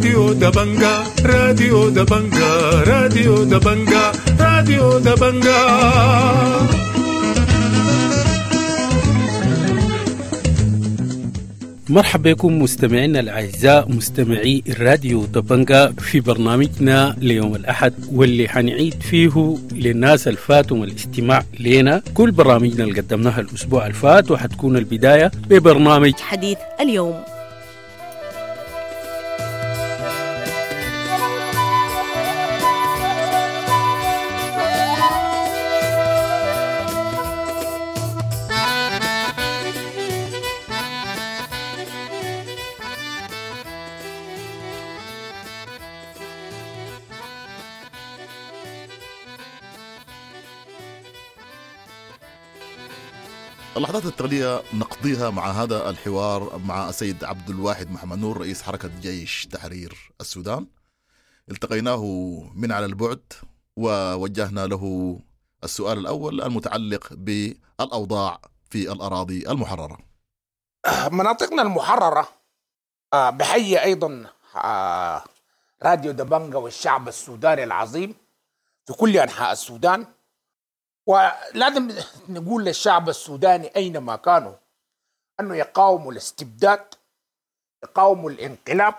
راديو دبنجا، راديو دبنجا، راديو دبنجا، راديو دبنجا. مرحبا بكم مستمعينا الأعزاء مستمعي الراديو دبنجا في برنامجنا ليوم الأحد، واللي حنعيد فيه للناس الفاتهم الاستماع لنا كل برامجنا اللي قدمناها الأسبوع الفات، وحتكون البداية ببرنامج حديث اليوم. اللحظات التالية نقضيها مع هذا الحوار مع السيد عبد الواحد محمد نور رئيس حركة جيش تحرير السودان. التقيناه من على البعد ووجهنا له السؤال الأول المتعلق بالأوضاع في الأراضي المحررة. مناطقنا المحررة بحيي أيضا راديو دبنجا والشعب السوداني العظيم في كل أنحاء السودان. ولازم نقول للشعب السوداني أينما كانوا أنه يقاوموا الاستبداد، يقاوموا الانقلاب،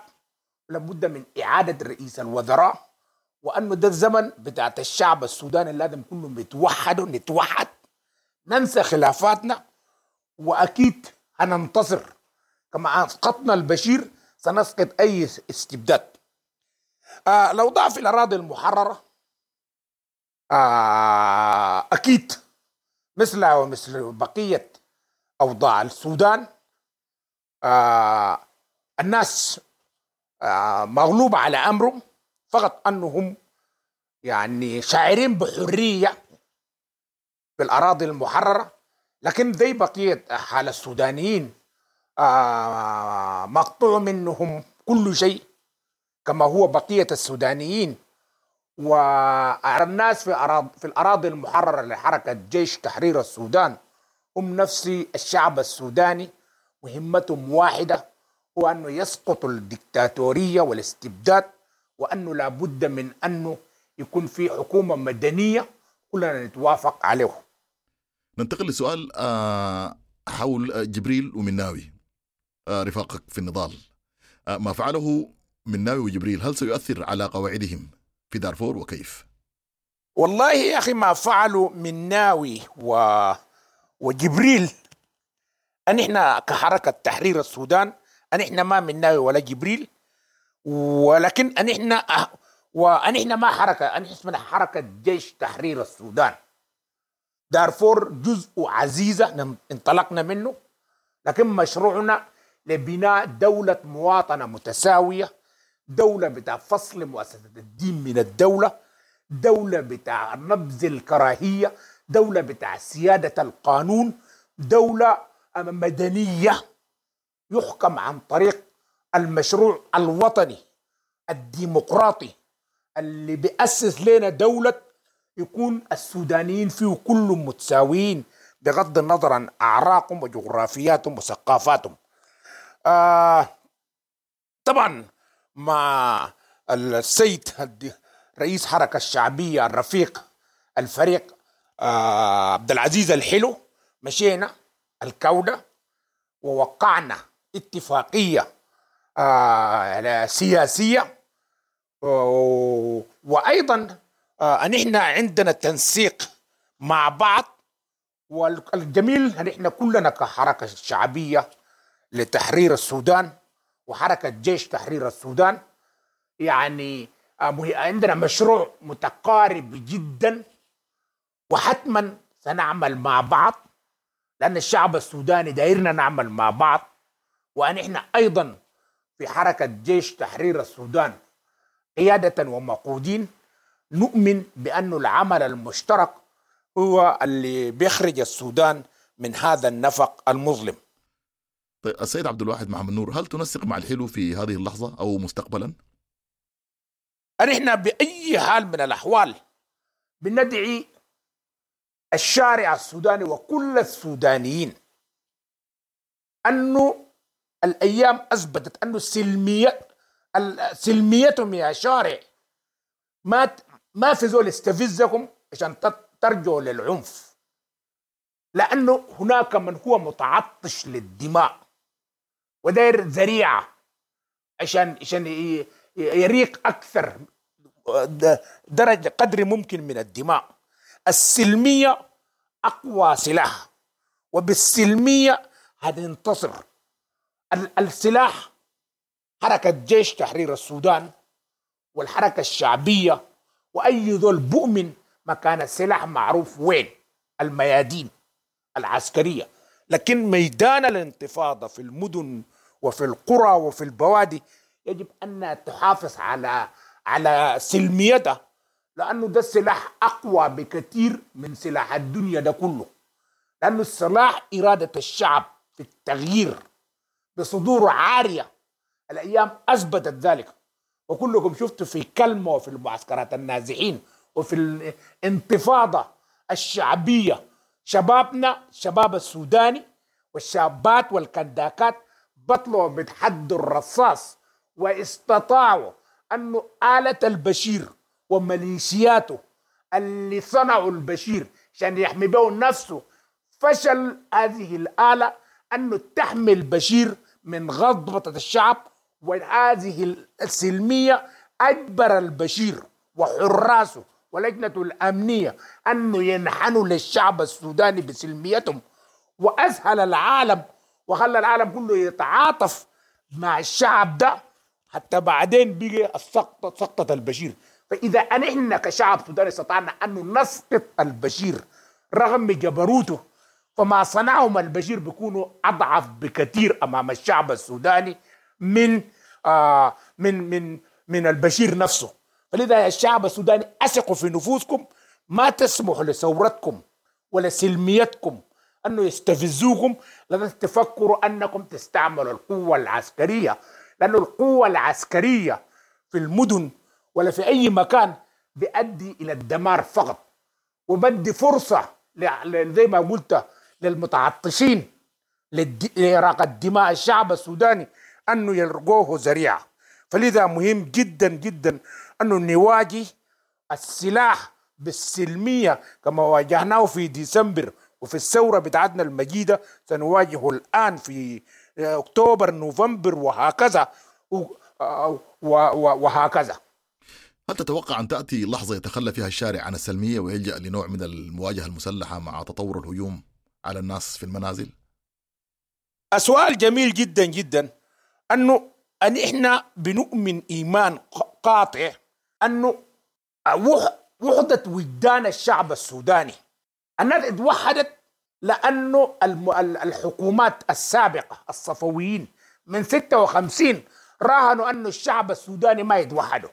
لابد من إعادة رئيس الوزراء، وأنه ده الزمن بتاعت الشعب السوداني لازم كلهم يتوحدوا، نتوحد، ننسى خلافاتنا، وأكيد هننتصر. كما أسقطنا البشير سنسقط أي استبداد. الأوضاع في الأراضي المحررة أكيد مثل ومثل بقية أوضاع السودان، الناس مغلوبة على أمرهم، فقط أنهم يعني شاعرين بحرية في الأراضي المحررة، لكن زي بقية حال السودانيين مقطوع منهم كل شيء كما هو بقية السودانيين. والناس في الأراضي المحررة لحركة جيش تحرير السودان هم نفس الشعب السوداني، مهمتهم واحدة، هو أنه يسقط الدكتاتورية والاستبداد، وأنه لابد من أنه يكون في حكومة مدنية كلنا نتوافق عليه. ننتقل لسؤال حول جبريل ومناوي رفاقك في النضال. ما فعله مناوي وجبريل هل سيؤثر على قواعدهم في دارفور وكيف؟ والله يا أخي ما فعلوا مناوي وجبريل، أن إحنا كحركة تحرير السودان أن إحنا ما مناوي ولا جبريل، ولكن أن إحنا ما حركة، أن اسمنا حركة جيش تحرير السودان. دارفور جزء عزيزة انطلقنا منه، لكن مشروعنا لبناء دولة مواطنة متساوية، دولة بتاع فصل مؤسسة الدين من الدولة، دولة بتاع نبذ الكراهية، دولة بتاع سيادة القانون، دولة مدنية يحكم عن طريق المشروع الوطني الديمقراطي اللي بيأسس لنا دولة يكون السودانيين فيه كلهم متساويين بغض النظر عن أعراقهم وجغرافياتهم وثقافاتهم. طبعا مع السيد رئيس حركة الشعبية الرفيق الفريق عبد العزيز الحلو مشينا الكودة ووقعنا اتفاقية سياسية، وأيضا نحن عندنا تنسيق مع بعض. والجميل نحن كلنا كحركة شعبية لتحرير السودان وحركة جيش تحرير السودان يعني عندنا مشروع متقارب جدا، وحتما سنعمل مع بعض لأن الشعب السوداني دايرنا نعمل مع بعض. ونحن أيضا في حركة جيش تحرير السودان قيادة ومقودين نؤمن بأن العمل المشترك هو اللي بيخرج السودان من هذا النفق المظلم. طيب السيد عبد الواحد محمد نور، هل تنسق مع الحلو في هذه اللحظة أو مستقبلا؟ نحن بأي حال من الأحوال بندعي الشارع السوداني وكل السودانيين أنه الأيام أثبتت أنه سلمية سلميتهم يا شارع، ما في زول يستفزكم عشان ترجعوا للعنف، لأنه هناك من هو متعطش للدماء وداير ذريعة عشان يريق أكثر درجة قدر ممكن من الدماء. السلمية أقوى سلاح، وبالسلمية هتنتصر. السلاح حركة جيش تحرير السودان والحركة الشعبية وأي ذول بؤمن مكان السلاح معروف وين، الميادين العسكرية. لكن ميدان الانتفاضة في المدن وفي القرى وفي البوادي يجب أن تحافظ على سلميتها، لأنه ده السلاح أقوى بكثير من سلاح الدنيا ده كله. لأنه السلاح إرادة الشعب في التغيير بصدور عارية، الأيام أثبتت ذلك، وكلكم شفتوا في كلمة وفي المعسكرات النازحين وفي الانتفاضة الشعبية، شبابنا شباب السوداني والشابات والكنداكات بطلوا بتحدوا الرصاص، واستطاعوا أنه آلة البشير وميليشياته اللي صنعوا البشير عشان يحمي به نفسه، فشل هذه الآلة أنه تحمي البشير من غضبة الشعب. وهذه السلمية أجبر البشير وحراسه ولجنة الأمنية أنه ينحنوا للشعب السوداني بسلميتهم، وأسهل العالم وخلى العالم كله يتعاطف مع الشعب ده، حتى بعدين بقي سقطة البشير. فإذا نحن كشعب سوداني استطعنا أن نسقط البشير رغم جبروته، فما صنعهم البشير بيكونوا أضعف بكثير أمام الشعب السوداني من من من من البشير نفسه. فلذا يا الشعب السوداني أثقوا في نفوسكم، ما تسمحوا لثورتكم ولا سلميتكم أنه يستفزوكم، لازم تفكروا أنكم تستعملوا القوة العسكرية، لأنه القوة العسكرية في المدن ولا في أي مكان بيؤدي إلى الدمار فقط، وبدي فرصة زي ما قلت للمتعطشين لإراقة دماء الشعب السوداني أنه يلقوه ذريعة. فلذا مهم جدا جدا أنه نواجه السلاح بالسلمية كما واجهناه في ديسمبر وفي الثورة بتاعتنا المجيدة، سنواجهه الآن في أكتوبر نوفمبر وهكذا وهكذا. هل تتوقع أن تأتي لحظة يتخلى فيها الشارع عن السلمية ويلجأ لنوع من المواجهة المسلحة مع تطور الهجوم على الناس في المنازل؟ سؤال جميل جدا جدا. أنه أن إحنا بنؤمن إيمان قاطع أنه وحدة وجدان الشعب السوداني، الناس اتوحدت لأنه الحكومات السابقة الصفويين من 56 راهنوا أنه الشعب السوداني ما يتوحدوا،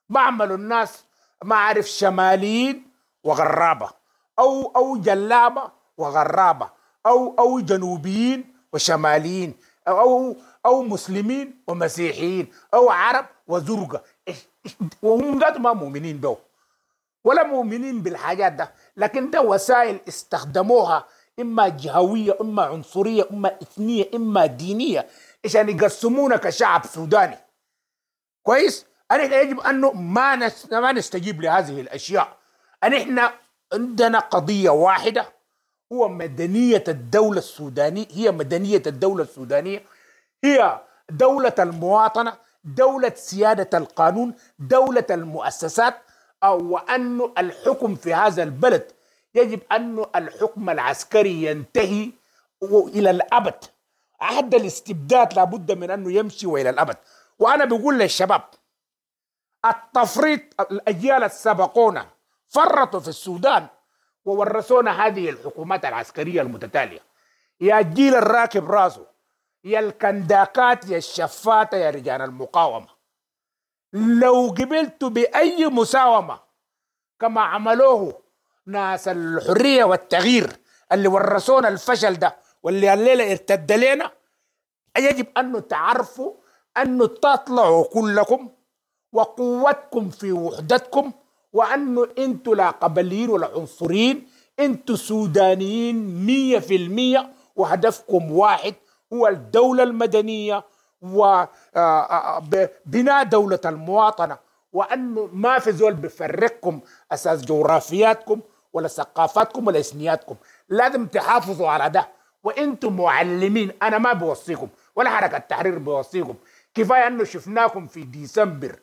ما عملوا الناس ما عارف شماليين وغرابة أو جلابة وغرابة أو جنوبيين وشماليين أو مسلمين ومسيحيين أو عرب وزرقة، وهم ذاتهم ما مؤمنين به ولا مؤمنين بالحاجات ده، لكن ده وسائل استخدموها إما جهوية إما عنصرية إما إثنية إما دينية عشان يقسمونا كشعب سوداني. كويس؟ أنا يجب أنه ما نستجيب لهذه الأشياء. أن عندنا قضية واحدة، هو مدنية الدولة السودانية، هي مدنية الدولة السودانية، هي دولة المواطنة، دولة سيادة القانون، دولة المؤسسات، أو أن الحكم في هذا البلد يجب أن الحكم العسكري ينتهي إلى الأبد. عهد الاستبداد لابد من أنه يمشي وإلى الأبد. وأنا بقول للشباب، التفريط، الأجيال السبقونا فرطوا في السودان وورثونا هذه الحكومات العسكرية المتتالية. يا الجيل الراكب راسه، يا الكنداكات، يا الشفاتة، يا رجال المقاومة، لو قبلتوا بأي مساومة كما عملوه ناس الحرية والتغيير اللي ورثونا الفشل ده واللي الليلة ارتد لنا، يجب أن تعرفوا أن تطلعوا كلكم وقوتكم في وحدتكم، وأنه أنتوا لا قبليين ولا عنصريين، أنتوا سودانيين 100%، وهدفكم واحد هو الدولة المدنية وبناء دولة المواطنة، وأنه ما في زول بفرقكم أساس جغرافياتكم ولا ثقافاتكم ولا إثنياتكم. لازم تحافظوا على ده، وانتم معلمين. أنا ما بوصيكم ولا حركة التحرير بوصيكم، كفاية أنه شفناكم في ديسمبر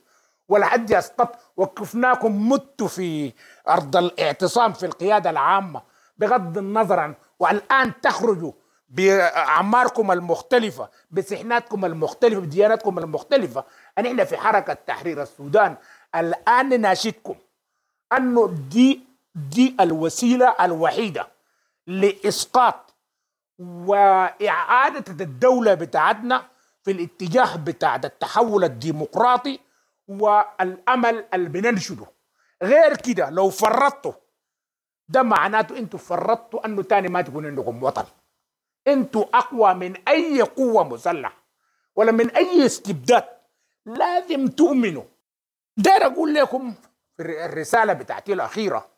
ولا حد يسقط، وقفناكم متوا في أرض الاعتصام في القيادة العامة بغض النظر عن، والآن تخرجوا بأعماركم المختلفة، بسحناتكم المختلفة، بدياناتكم المختلفة. نحن في حركة تحرير السودان الآن ناشدكم أنه دي الوسيلة الوحيدة لإسقاط وإعادة الدولة بتاعتنا في الاتجاه بتاع التحول الديمقراطي والأمل اللي بننشده. غير كده لو فرطتوا ده معناته انتوا فرطتوا انه تاني ما تكون عندكم وطن. انتوا اقوى من اي قوة مسلحة ولا من اي استبداد، لازم تؤمنوا. داير اقول لكم في الرسالة بتاعتي الاخيرة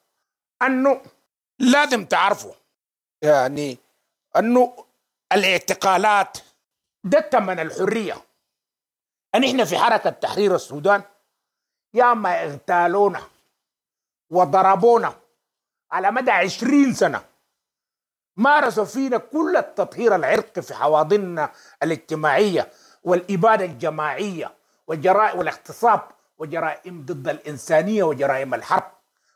انه لازم تعرفوا يعني انه الاعتقالات ده ثمن الحرية. ان احنا في حركة تحرير السودان يا ما اغتالونا وضربونا على مدى 20 سنة، مارسوا فينا كل التطهير العرقي في حواضننا الاجتماعية والإبادة الجماعية والجرائم والاغتصاب وجرائم ضد الإنسانية وجرائم الحرب.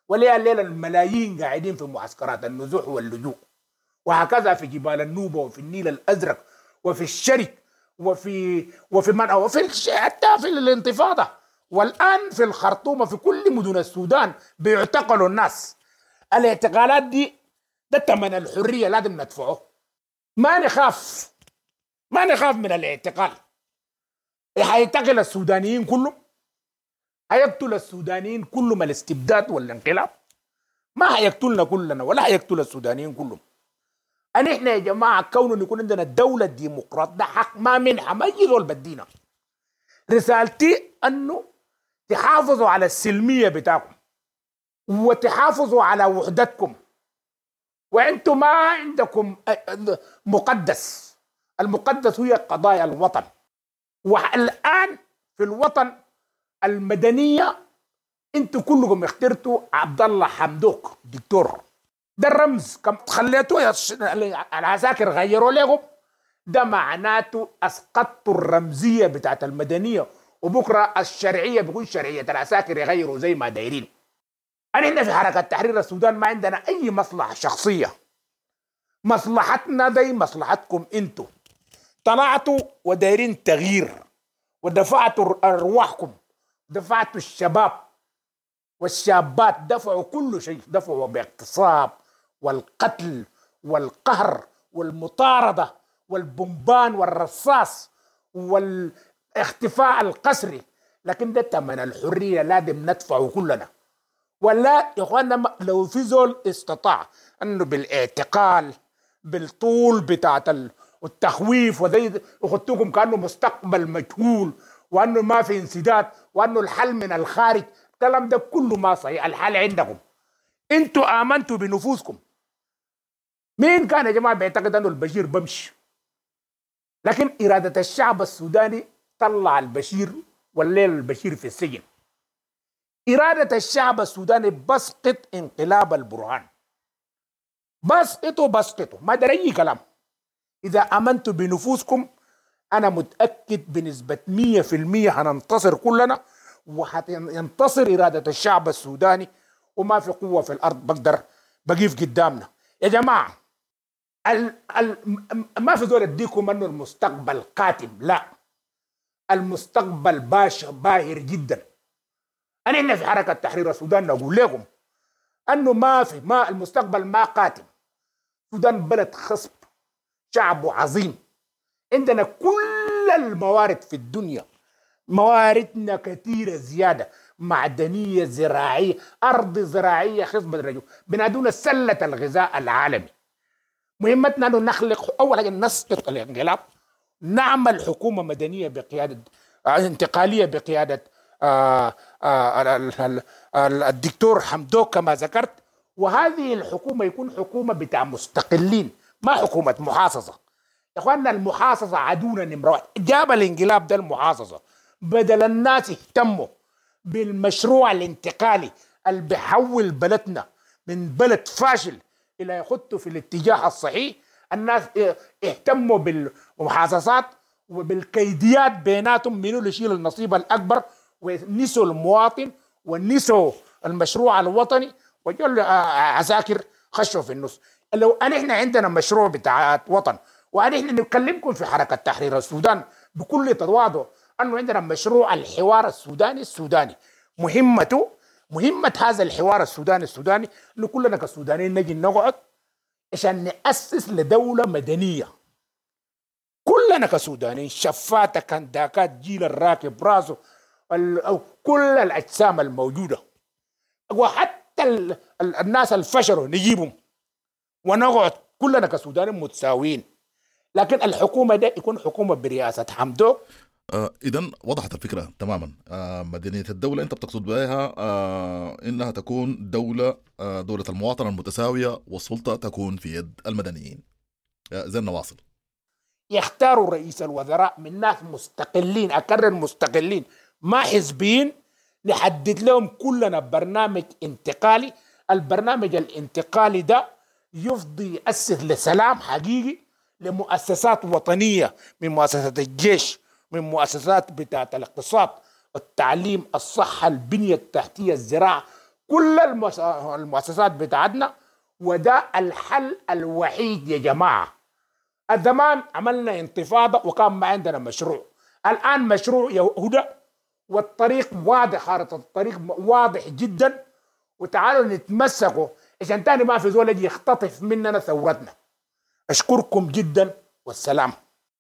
وليا الليلة الملايين قاعدين في معسكرات النزوح واللجوء، وهكذا في جبال النوبة وفي النيل الأزرق وفي الشرق وفي وفي من وفي حتى في الانتفاضة، والآن في الخرطوم وفي كل مدن السودان بيعتقلوا الناس. الاعتقالات دي ده ثمن الحرية، لازم ندفعه. ما نخاف، ما نخاف من الاعتقال. هيعتقل السودانيين كلهم، هيقتل السودانيين كلهم الاستبداد والانقلاب، ما هيقتلنا كلنا ولا هيقتل السودانيين كلهم. أن إحنا يا جماعة كونه يكون عندنا الدولة الديمقراط ده حق ما منحة، ما يجي زول بدينا. رسالتي أنه تحافظوا على السلمية بتاعكم وتحافظوا على وحدتكم، وانتم ما عندكم مقدس، المقدس هي قضايا الوطن. والآن في الوطن المدنية انتم كلكم اخترتوا عبد الله حمدوك دكتور، ده الرمز، كم خليتوه العساكر غيروا لكم، ده معناته اسقطتوا الرمزية بتاعت المدنية، وبكره الشرعية بيكون شرعية العساكر يغيروا زي ما دايرين. احنا في حركة تحرير السودان ما عندنا اي مصلحة شخصية، مصلحتنا زي مصلحتكم انتوا. طلعتوا ودايرين تغيير، ودفعتوا ارواحكم، دفعتوا الشباب والشابات، دفعوا كل شيء، دفعوا باغتصاب والقتل والقهر والمطاردة والبومبان والرصاص والاختفاء القسري، لكن ده ثمن الحرية لازم ندفعه كلنا. ولا يا اخوانا لو في زول استطاع انه بالاعتقال بالطول بتاعت التخويف وزي اخدتكم كانه مستقبل مجهول وانه ما في انسداد وانه الحل من الخارج، الكلام ده كله ما صحيح. الحل عندكم انتوا، امنتوا بنفوسكم. مين كان يا جماعة بيعتقد انه البشير بمشي؟ لكن اراده الشعب السوداني طلع البشير، والليل البشير في السجن. إرادة الشعب السوداني بسقط انقلاب البرهان، بسقطه بسقطه، ما در أي كلام. إذا آمنتوا بنفوسكم أنا متأكد بنسبة 100% هننتصر كلنا، وهتنتصر إرادة الشعب السوداني، وما في قوة في الأرض بقدر بقيف قدامنا. يا جماعة ما في زول اديكم أنه المستقبل قاتم، لا، المستقبل باهر جدا. أنا في حركة تحرير السودان نقول لكم أنه ما في، ما المستقبل ما قاتم. السودان بلد خصب، شعبه عظيم، عندنا كل الموارد في الدنيا، مواردنا كثيرة زيادة، معدنية، زراعية، أرض زراعية خصبة الرجل، بنادونا سلة الغذاء العالمي. مهمتنا أنه نخلق أول حاجة نسقط الانقلاب، نعمل حكومة مدنية بقيادة انتقالية بقيادة الدكتور حمدوك كما ذكرت، وهذه الحكومة يكون حكومة بتاع مستقلين، ما حكومة محاصصة. يا اخواننا المحاصصه عدونا نمره واحد. جاب الانقلاب ده المحاصصه، بدل الناس اهتموا بالمشروع الانتقالي اللي بيحول بلدنا من بلد فاشل الى يخطوا في الاتجاه الصحيح، الناس اهتموا بالمحاصصات وبالكيديات بيناتهم منو اللي يشيل النصيب الاكبر، ونسوا المواطن ونسوا المشروع الوطني، وجوا عساكر خشوا في النص. لو ان احنا عندنا مشروع بتاع وطن، وان احنا نكلمكم في حركة تحرير السودان بكل تواضع انه عندنا مشروع الحوار السوداني السوداني، مهمة هذا الحوار السوداني السوداني انه كلنا كسودانيين نجي نقعد عشان نأسس لدولة مدنية. كلنا كسودانيين، شفاتة كنداكات، جيل الراكب راسه، أو كل الأجسام الموجودة، وحتى الناس الفشلوا نجيبهم ونقعد كلنا كسودانيين متساويين. لكن الحكومة ده يكون حكومة برئاسة حمدوك. إذا وضحت الفكرة تماما. مدنية الدولة أنت بتقصد بها إنها تكون دولة، دولة المواطنة المتساوية، والسلطة تكون في يد المدنيين. زي نواصل. يختاروا رئيس الوزراء من ناس مستقلين، أكرر مستقلين، ما حزبيين، نحدد لهم كلنا برنامج انتقالي. البرنامج الانتقالي ده يفضي يأسس لسلام حقيقي، لمؤسسات وطنية، من مؤسسات الجيش، من مؤسسات بتاعة الاقتصاد، التعليم، الصحة، البنية التحتية، الزراعة، كل المؤسسات بتاعتنا. وده الحل الوحيد يا جماعة. الزمان عملنا انتفاضة وكان ما عندنا مشروع، الآن مشروع يهدى والطريق واضح، خارطة الطريق واضح جدا، وتعالوا نتمسكوا عشان تاني ما في زول يجي يختطف مننا ثورتنا. أشكركم جدا والسلام.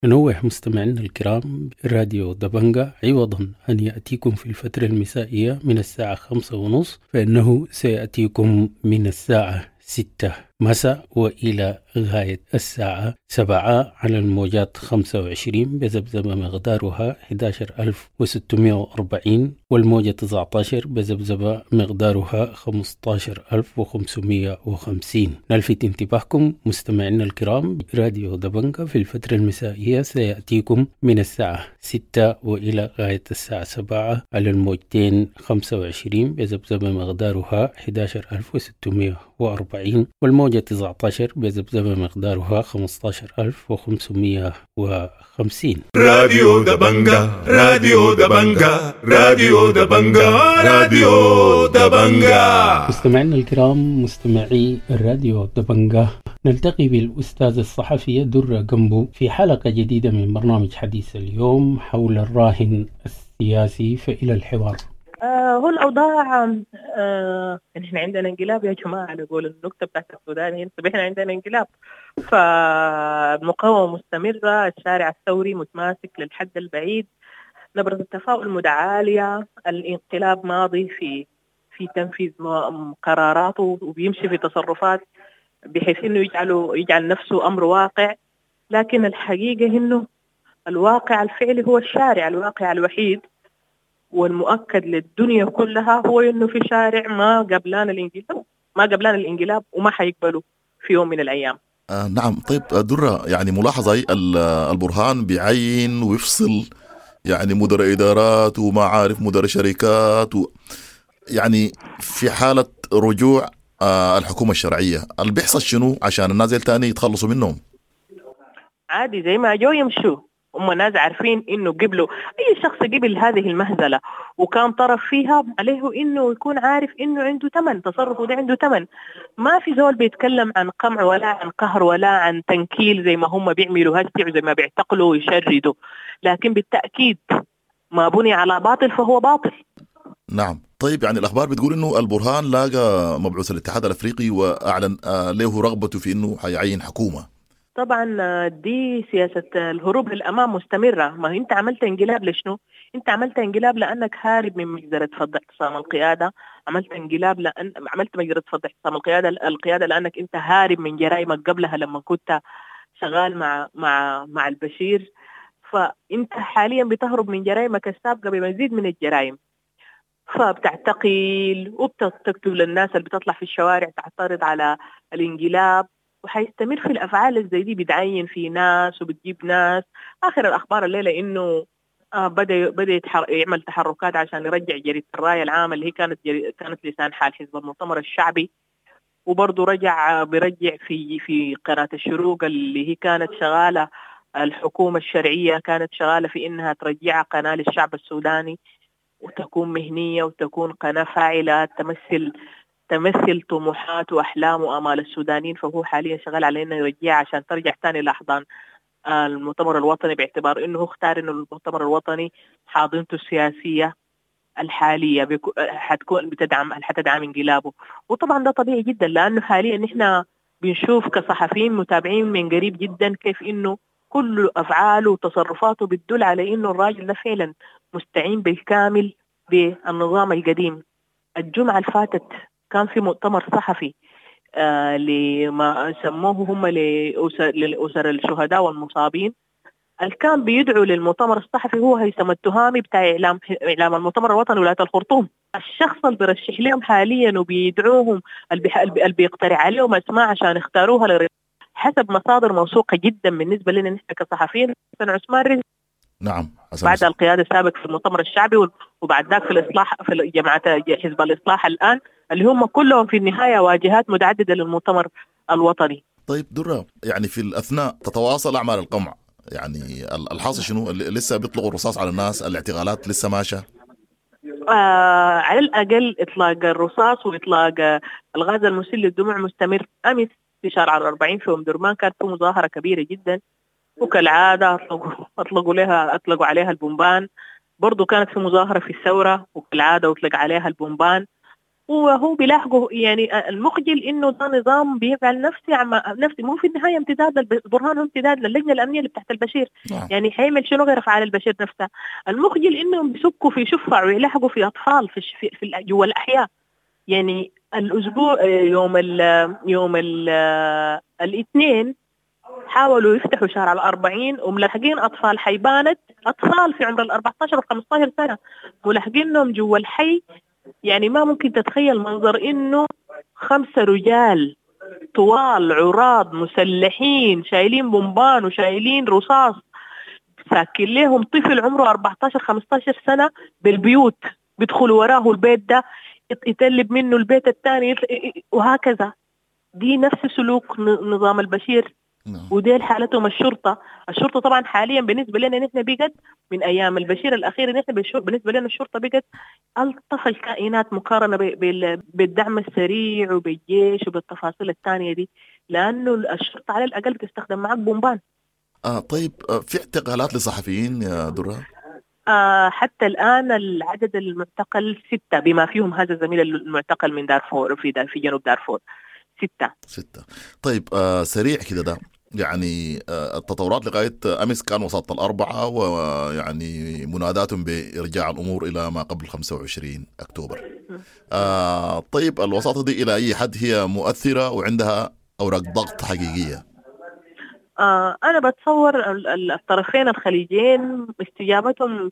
ننوه مستمعينا الكرام، راديو دبنجا عوضا أن يأتيكم في الفترة المسائية من الساعة 5:30 فإنه سيأتيكم من الساعة 6 مساء وإلى غاية الساعة 7 على الموجات 25 بذبذبة مقدارها 11640، والموجة 19 بذبذبة مقدارها 15550. نلفت انتباهكم مستمعينا الكرام، راديو دبنجا في الفترة المسائية سيأتيكم من الساعة 6 وإلى غاية الساعة 7 على الموجتين 25 بذبذبة مقدارها 11640، والموجة 19 بذبذبة مقدارها 15550. راديو دبنجا، راديو دبنجا، راديو دبنجا، راديو دبنجا. مستمعينا الكرام، مستمعي الراديو دبنجا، نلتقي بالأستاذ الصحفية درة جنبو في حلقة جديدة من برنامج حديث اليوم حول الراهن السياسي، فإلى الحوار. هو الأوضاع، نحن عندنا انقلاب يا جماعة، نقول النكتة بتاعت السودان هنا، احنا عندنا انقلاب، فالمقاومة مستمرة، الشارع الثوري متماسك للحد البعيد، نبرة التفاؤل متعالية، الانقلاب ماضي في تنفيذ قراراته وبيمشي في تصرفات بحيث انه يجعل نفسه امر واقع. لكن الحقيقة انه الواقع الفعلي هو الشارع، الواقع الوحيد والمؤكد للدنيا كلها هو انه في شارع ما قبلان الانقلاب، ما قبلان الانقلاب وما حيقبلوا في يوم من الايام. نعم. طيب درة، يعني ملاحظة البرهان بيعين ويفصل يعني مدراء إدارات وما عارف مدراء شركات يعني في حالة رجوع الحكومة الشرعية اللي بيحصل شنو عشان الناس التاني يتخلصوا منهم؟ عادي زي ما جو يمشوا، هم ناس عارفين انه قبلوا، اي شخص قبل هذه المهزلة وكان طرف فيها عليه انه يكون عارف انه عنده ثمن، تصرفه ده عنده ثمن. ما في زول بيتكلم عن قمع ولا عن قهر ولا عن تنكيل زي ما هم بيعملوا هسه وزي ما بيعتقلوا ويشردوا، لكن بالتأكيد ما بني على باطل فهو باطل. نعم. طيب يعني الأخبار بتقول إنه البرهان لاقى مبعوث الاتحاد الأفريقي وأعلن له رغبته في إنه حيعين حكومة. طبعا دي سياسة الهروب للأمام مستمرة. ما أنت عملت انقلاب لشنو؟ أنت عملت انقلاب لأنك هارب من مجزرة فض اعتصام القيادة، عملت انقلاب لأن عملت مجزرة فض اعتصام القيادة لأنك أنت هارب من جرائمك قبلها لما كنت شغال مع مع مع البشير. فأنت حاليا بتهرب من جرائمك السابقة بمزيد من الجرائم، فبتعتقل وبتقتل الناس اللي بتطلع في الشوارع تعترض على الانقلاب. وحيستمر في الأفعال زي دي، بتعين في ناس وبتجيب ناس. آخر الأخبار الليلة إنه بدأ يعمل تحركات عشان يرجع جريدة الرأي العام اللي هي كانت لسان حال حزب المؤتمر الشعبي، وبرضه بيرجع في قناة الشروق اللي هي كانت شغالة، الحكومة الشرعية كانت شغالة في إنها ترجعها قناة للشعب السوداني وتكون مهنية وتكون قناة فاعلة تمثل طموحات وأحلام وآمال السودانيين. فهو حاليا شغال على إنه يرجعها عشان ترجع تاني لأحضان المؤتمر الوطني، باعتبار إنه اختار إنه المؤتمر الوطني حاضنته السياسية الحالية حتكون حتدعم انقلابه. وطبعا ده طبيعي جدا، لأنه حاليا نحن بنشوف كصحفيين متابعين من قريب جدا كيف إنه كل أفعاله وتصرفاته بتدل على إنه الراجل ده فعلا مستعين بالكامل بالنظام القديم. الجمعة الفاتت كان في مؤتمر صحفي لما سموه هم لأسر الشهداء والمصابين. اللي كان بيدعو للمؤتمر الصحفي هو هيثم التهامي بتاع إعلام المؤتمر الوطني ولاية الخرطوم. الشخص اللي بيرشح لهم حاليا وبيدعوهم اللي بيقترح عليهم أسماء عشان يختاروها حسب مصادر موثوقة جدا بالنسبة لنا نحن كصحفيين، حسن عثمان رزق. نعم، حسن بعد القيادة السابق في المؤتمر الشعبي وبعد ذاك في الإصلاح في جماعة حزب الإصلاح الآن، اللي هم كلهم في النهاية واجهات متعددة للمؤتمر الوطني. طيب درة، يعني في الأثناء تتواصل أعمال القمع، يعني الحاصل شنو؟ لسه بيطلقوا الرصاص على الناس، الاعتقالات لسه ماشية؟ على الأقل إطلاق الرصاص وإطلاق الغاز المسيل للدموع مستمر. أمس في شارع 40 في أم درمان كانت في مظاهرة كبيرة جدا، وكالعادة أطلقوا عليها البومبان. برضو كانت في مظاهرة في الثورة وكالعادة أطلق عليها البومبان، وهو بيلاحقه. يعني المخجل إنه ده نظام بيفعل نفسي مو في النهاية امتداد البرهان، هو امتداد للجنة الأمنية اللي بتاعت البشير. يعني حيعمل شنو غير أفعال البشير نفسها؟ المخجل إنهم بيسكوا في شفع ويلاحقوا في أطفال في جوا الأحياء. يعني الأسبوع يوم الاثنين حاولوا يفتحوا شارع 40 وملاحقين أطفال حيبانت، أطفال في عمر 14 و15 سنة ملاحقينهم جوا الحي. يعني ما ممكن تتخيل منظر إنه 5 رجال طوال عراض مسلحين شايلين بومبان وشايلين رصاص ساكن لهم طفل عمره 14-15 سنة بالبيوت، بيدخلوا وراه البيت ده يتلب منه البيت الثاني وهكذا. دي نفس سلوك نظام البشير. ودي حالتهم الشرطة. الشرطة طبعا حاليا بالنسبة لنا نحن بقت من أيام البشير الأخير، نحن بالنسبة لنا الشرطة بقت ألطف الكائنات مقارنة بالدعم السريع وبالجيش وبالتفاصيل الثانية دي، لأنه الشرطة على الأقل بتستخدم معك بومبان. طيب في اعتقالات لصحفيين يا درة؟ حتى الآن العدد المعتقل 6 بما فيهم هذا الزميل المعتقل من دارفور في جنوب دارفور. 6. طيب سريع كده ده يعني التطورات لغاية أمس كان وسط 4، ويعني مناداتهم بإرجاع الأمور إلى ما قبل 25 أكتوبر. طيب الوساطة دي إلى أي حد هي مؤثرة وعندها أوراق ضغط حقيقية؟ أنا بتصور الطرفين الخليجيين استجابتهم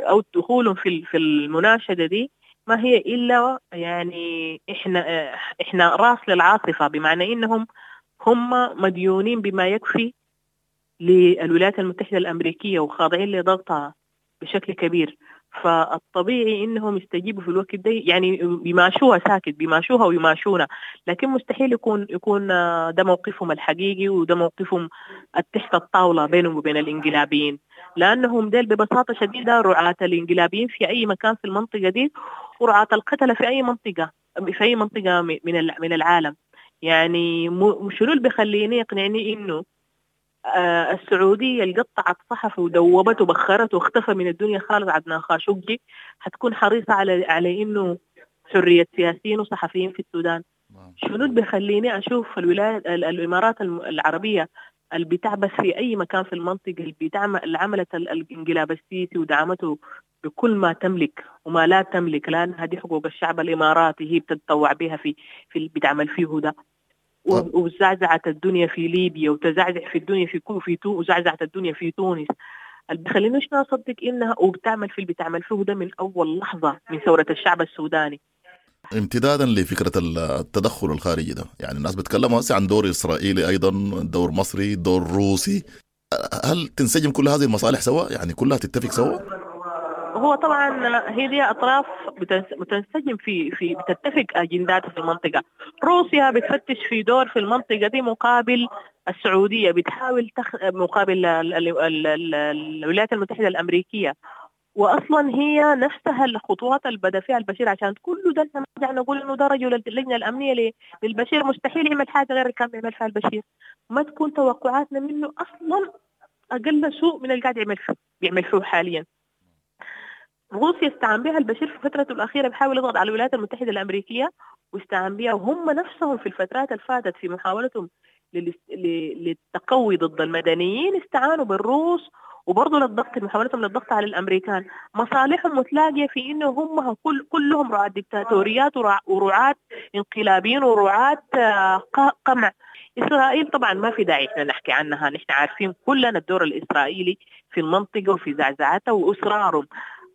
أو دخولهم في المناشدة دي ما هي إلا يعني إحنا راس للعاصفة، بمعنى إنهم هم مديونين بما يكفي للولايات المتحدة الأمريكية وخاضعين لضغطها بشكل كبير، فالطبيعي إنهم يستجيبوا في الوقت ده، يعني بيماشوها ساكت، بيماشوها ويماشونا، لكن مستحيل يكون ده موقفهم الحقيقي وده موقفهم تحت الطاولة بينهم وبين الإنقلابيين، لأنهم ديل ببساطة شديدة رعاة الإنقلابيين في أي مكان في المنطقة دي، ورعاة القتلة في أي منطقة من العالم. يعني شنو اللي بيخليني يقنعني إنه السعودية اللي قطعت صحف ودوبته وبخرته واختفى من الدنيا خالص عدنان خاشقجي حتكون حريصة على إنه حرية سياسيين وصحفيين في السودان؟ شنو اللي بيخليني أشوف الإمارات العربية اللي بتعبث في أي مكان في المنطقة، اللي عملت الانقلاب السيسي ودعمته بكل ما تملك وما لا تملك، لأن هذه حقوق الشعب الإماراتي هي بتتطوع بها في اللي بتعمل فيه ده، وزعزعت الدنيا في ليبيا وتزعزع في الدنيا في وزعزعت الدنيا في تونس. اللي بخلينيش نصدق إنها وبتعمل في اللي بتعمل فيه ده من أول لحظة من ثورة الشعب السوداني. امتدادا لفكرة التدخل الخارجي ده، يعني الناس بيتكلموا هسه عن دور اسرائيلي ايضا، دور مصري، دور روسي. هل تنسجم كل هذه المصالح سوا؟ يعني كلها تتفق سوا؟ هو طبعا هي دي اطراف بتنسجم في بتتفق اجندات في المنطقة. روسيا بتفتش في دور في المنطقة دي مقابل السعودية، بتحاول مقابل الولايات المتحدة الامريكية. واصلا هي نفسها الخطوات اللي بدا فيها البشير، عشان كله ده نرجع نقول انه ده رجل اللجنة الامنية للبشير، مستحيل يعمل حاجة غير اللي كان بيعمل فيها البشير. ما تكون توقعاتنا منه اصلا اقل سوء من اللي قاعد بيعمل فيه حاليا. روسيا استعان بها البشير في فترته الاخيرة، بيحاول يضغط على الولايات المتحدة الامريكية واستعان بها، وهم نفسهم في الفترات اللي فاتت في محاولتهم للتقوي ضد المدنيين استعانوا بالروس، وبرضه للضغط، محاولتهم للضغط على الامريكان. مصالحهم متلاقيه في انه هم كلهم رعاة ديكتاتوريات ورعاة انقلابيين ورعاة قمع. اسرائيل طبعا ما في داعي احنا نحكي عنها، نحن عارفين كلنا الدور الاسرائيلي في المنطقة وفي زعزعتها واصرارهم.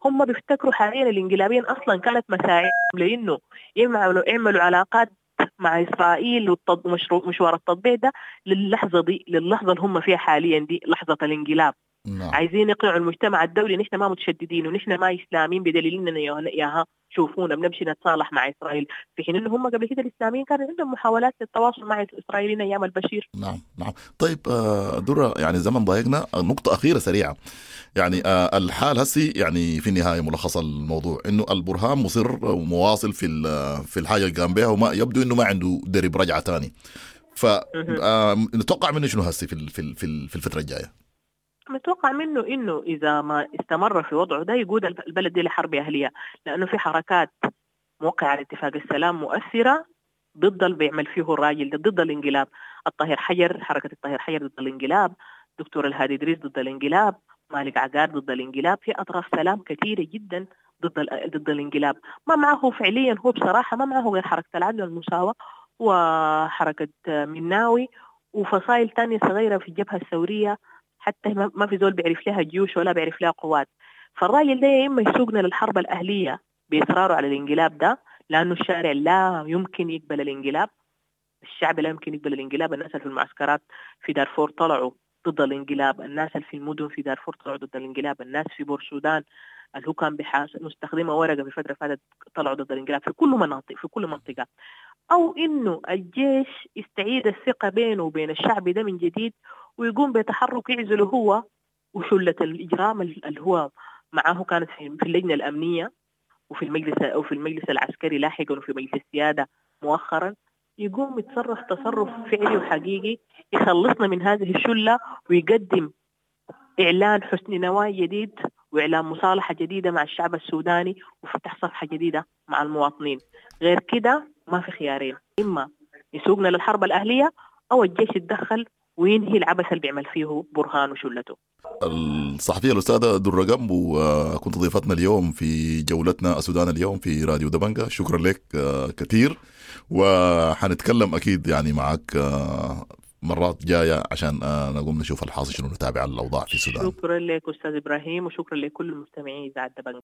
هم بيفتكروا حاليا الانقلابيين اصلا كانت مساعيهم لانه يعملوا علاقات مع اسرائيل ومشوار التطبيع ده للحظة دي، للحظة اللي هم فيها حاليا دي، لحظة الانقلاب. نعم. عايزين يقنعوا المجتمع الدولي نحن ما متشددين ونحن ما اسلاميين، بدليل اننا ياها شوفونا بنمشي نتصالح مع اسرائيل، في حين انه هم قبل كده الاسلاميين كان عندهم محاولات للتواصل مع الاسرائيليين ايام البشير. نعم نعم. طيب درة، يعني زمن ضايقنا، نقطة أخيرة سريعة. يعني الحال هسي، يعني في النهاية ملخص الموضوع انه البرهان مصر ومواصل في الحاجة اللي قام بها، وما يبدو انه ما عنده درب رجعة ثاني. ف نتوقع منه شنو هسي في الفترة الجاية؟ متوقع منه انه اذا ما استمر في وضعه ده يقود البلد دي لحرب اهليه، لانه في حركات موقعه على اتفاق السلام مؤثرة ضد اللي بيعمل فيه الراجل ده، ضد الانقلاب. الطاهر حجر، حركة الطاهر حجر ضد الانقلاب، دكتور الهادي ادريس ضد الانقلاب، مالك عقار ضد الانقلاب. في اطراف سلام كثيرة جدا ضد الانقلاب. ما معه فعليا هو بصراحة ما معه غير حركة العدل والمساواة وحركه مناوي وفصائل ثانية صغيرة في الجبهة الثورية، حتى ما في زول بيعرف لها جيوش ولا بيعرف لها قوات. فالراجل ده يا إما يسوقنا للحرب الأهلية بإصراره على الانقلاب ده، لأنه الشارع لا يمكن يقبل الانقلاب، الشعب لا يمكن يقبل الانقلاب. الناس اللي في المعسكرات في دارفور طلعوا ضد الانقلاب، الناس اللي في المدن في دارفور طلعوا ضد الانقلاب، الناس في بورسودان اللي هو كان مستخدمة ورقة في فترة فاتت طلعوا ضد الانقلاب في كل مناطق، في كل منطقة. أو إنه الجيش يستعيد الثقة بينه وبين الشعب ده من جديد، ويقوم بتحرك يعزله هو وشلة الإجرام اللي هو معاه كانت في اللجنة الأمنية وفي المجلس وفي المجلس العسكري لاحقا وفي مجلس السيادة مؤخرا. يقوم يتصرف تصرف فعلي وحقيقي يخلصنا من هذه الشلة، ويقدم إعلان حسن نوايا جديد وإعلان مصالحة جديدة مع الشعب السوداني وفتح صفحة جديدة مع المواطنين. غير كده ما في خيارين، إما يسوقنا للحرب الأهلية أو الجيش يتدخل وينهي العبث اللي بيعمل فيه برهان وشلته. الصحفية الأستاذة درة جنبو، كنت ضيفتنا اليوم في جولتنا السودان اليوم في راديو دبنجة. شكرا لك كثير، وحنتكلم أكيد يعني معك مرات جاية عشان نقوم نشوف الحاصل شنو، نتابع الأوضاع في السودان. شكرا لك أستاذ إبراهيم، وشكرا لكل المستمعين إذاعة دبنجة.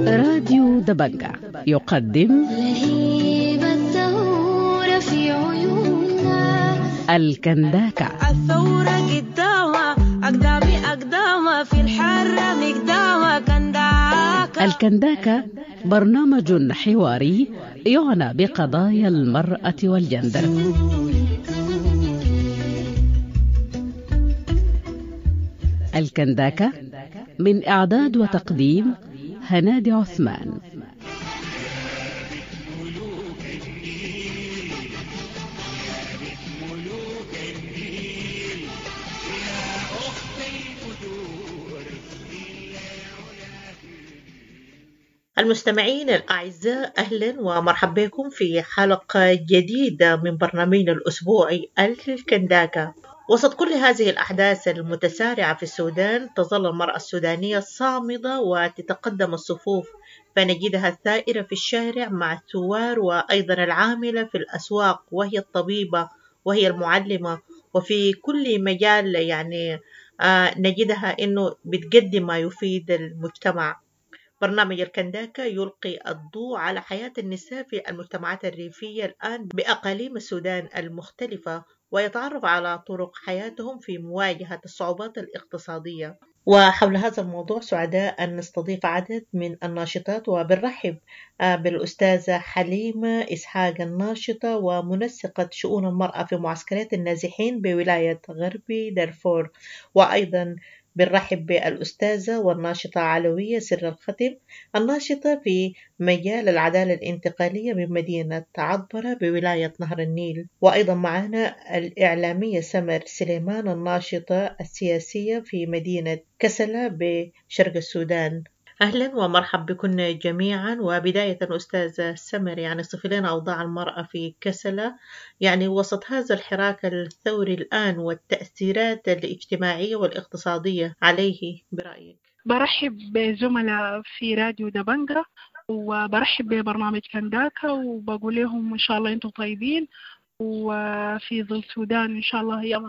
راديو دبنجة يقدم لهيب الثورة في عيوننا الكنداكة. الثورة قدامها أقدامي أقدامها في الحرة مقدامها كنداكة. الكنداكة برنامج حواري يعنى بقضايا المرأة والجندر. الكنداكة من إعداد وتقديم هنادي عثمان. المستمعين الأعزاء، أهلا ومرحبا بكم في حلقة جديدة من برنامجنا الأسبوعي الكنداكة. وسط كل هذه الأحداث المتسارعة في السودان تظل المرأة السودانية صامدة وتتقدم الصفوف، فنجدها الثائرة في الشارع مع الثوار، وأيضا العاملة في الأسواق، وهي الطبيبة وهي المعلمة، وفي كل مجال يعني نجدها أنه بتقدم ما يفيد المجتمع. برنامج الكنداكة يلقي الضوء على حياة النساء في المجتمعات الريفية الآن بأقاليم السودان المختلفة، ويتعرف على طرق حياتهم في مواجهة الصعوبات الاقتصادية. وحول هذا الموضوع سعداء أن نستضيف عدد من الناشطات، وبنرحب بالأستاذة حليمة إسحاق الناشطة ومنسقة شؤون المرأة في معسكرات النازحين بولاية غربي دارفور، وأيضا بنرحب بالأستاذة والناشطة علوية سر الختم الناشطة في مجال العدالة الانتقالية من مدينة عطبرة بولاية نهر النيل، وأيضا معنا الإعلامية سمر سليمان الناشطة السياسية في مدينة كسلة بشرق السودان. أهلا ومرحبا بكم جميعا. وبداية أستاذة سمر، يعني صف لنا أوضاع المرأة في كسلة يعني وسط هذا الحراك الثوري الآن والتأثيرات الاجتماعية والاقتصادية عليه برأيك. برحب بزملاء في راديو دبنجة، وبرحب ببرنامج كنداكا، وبقول لهم إن شاء الله أنتم طيبين، وفي ظل سودان إن شاء الله هي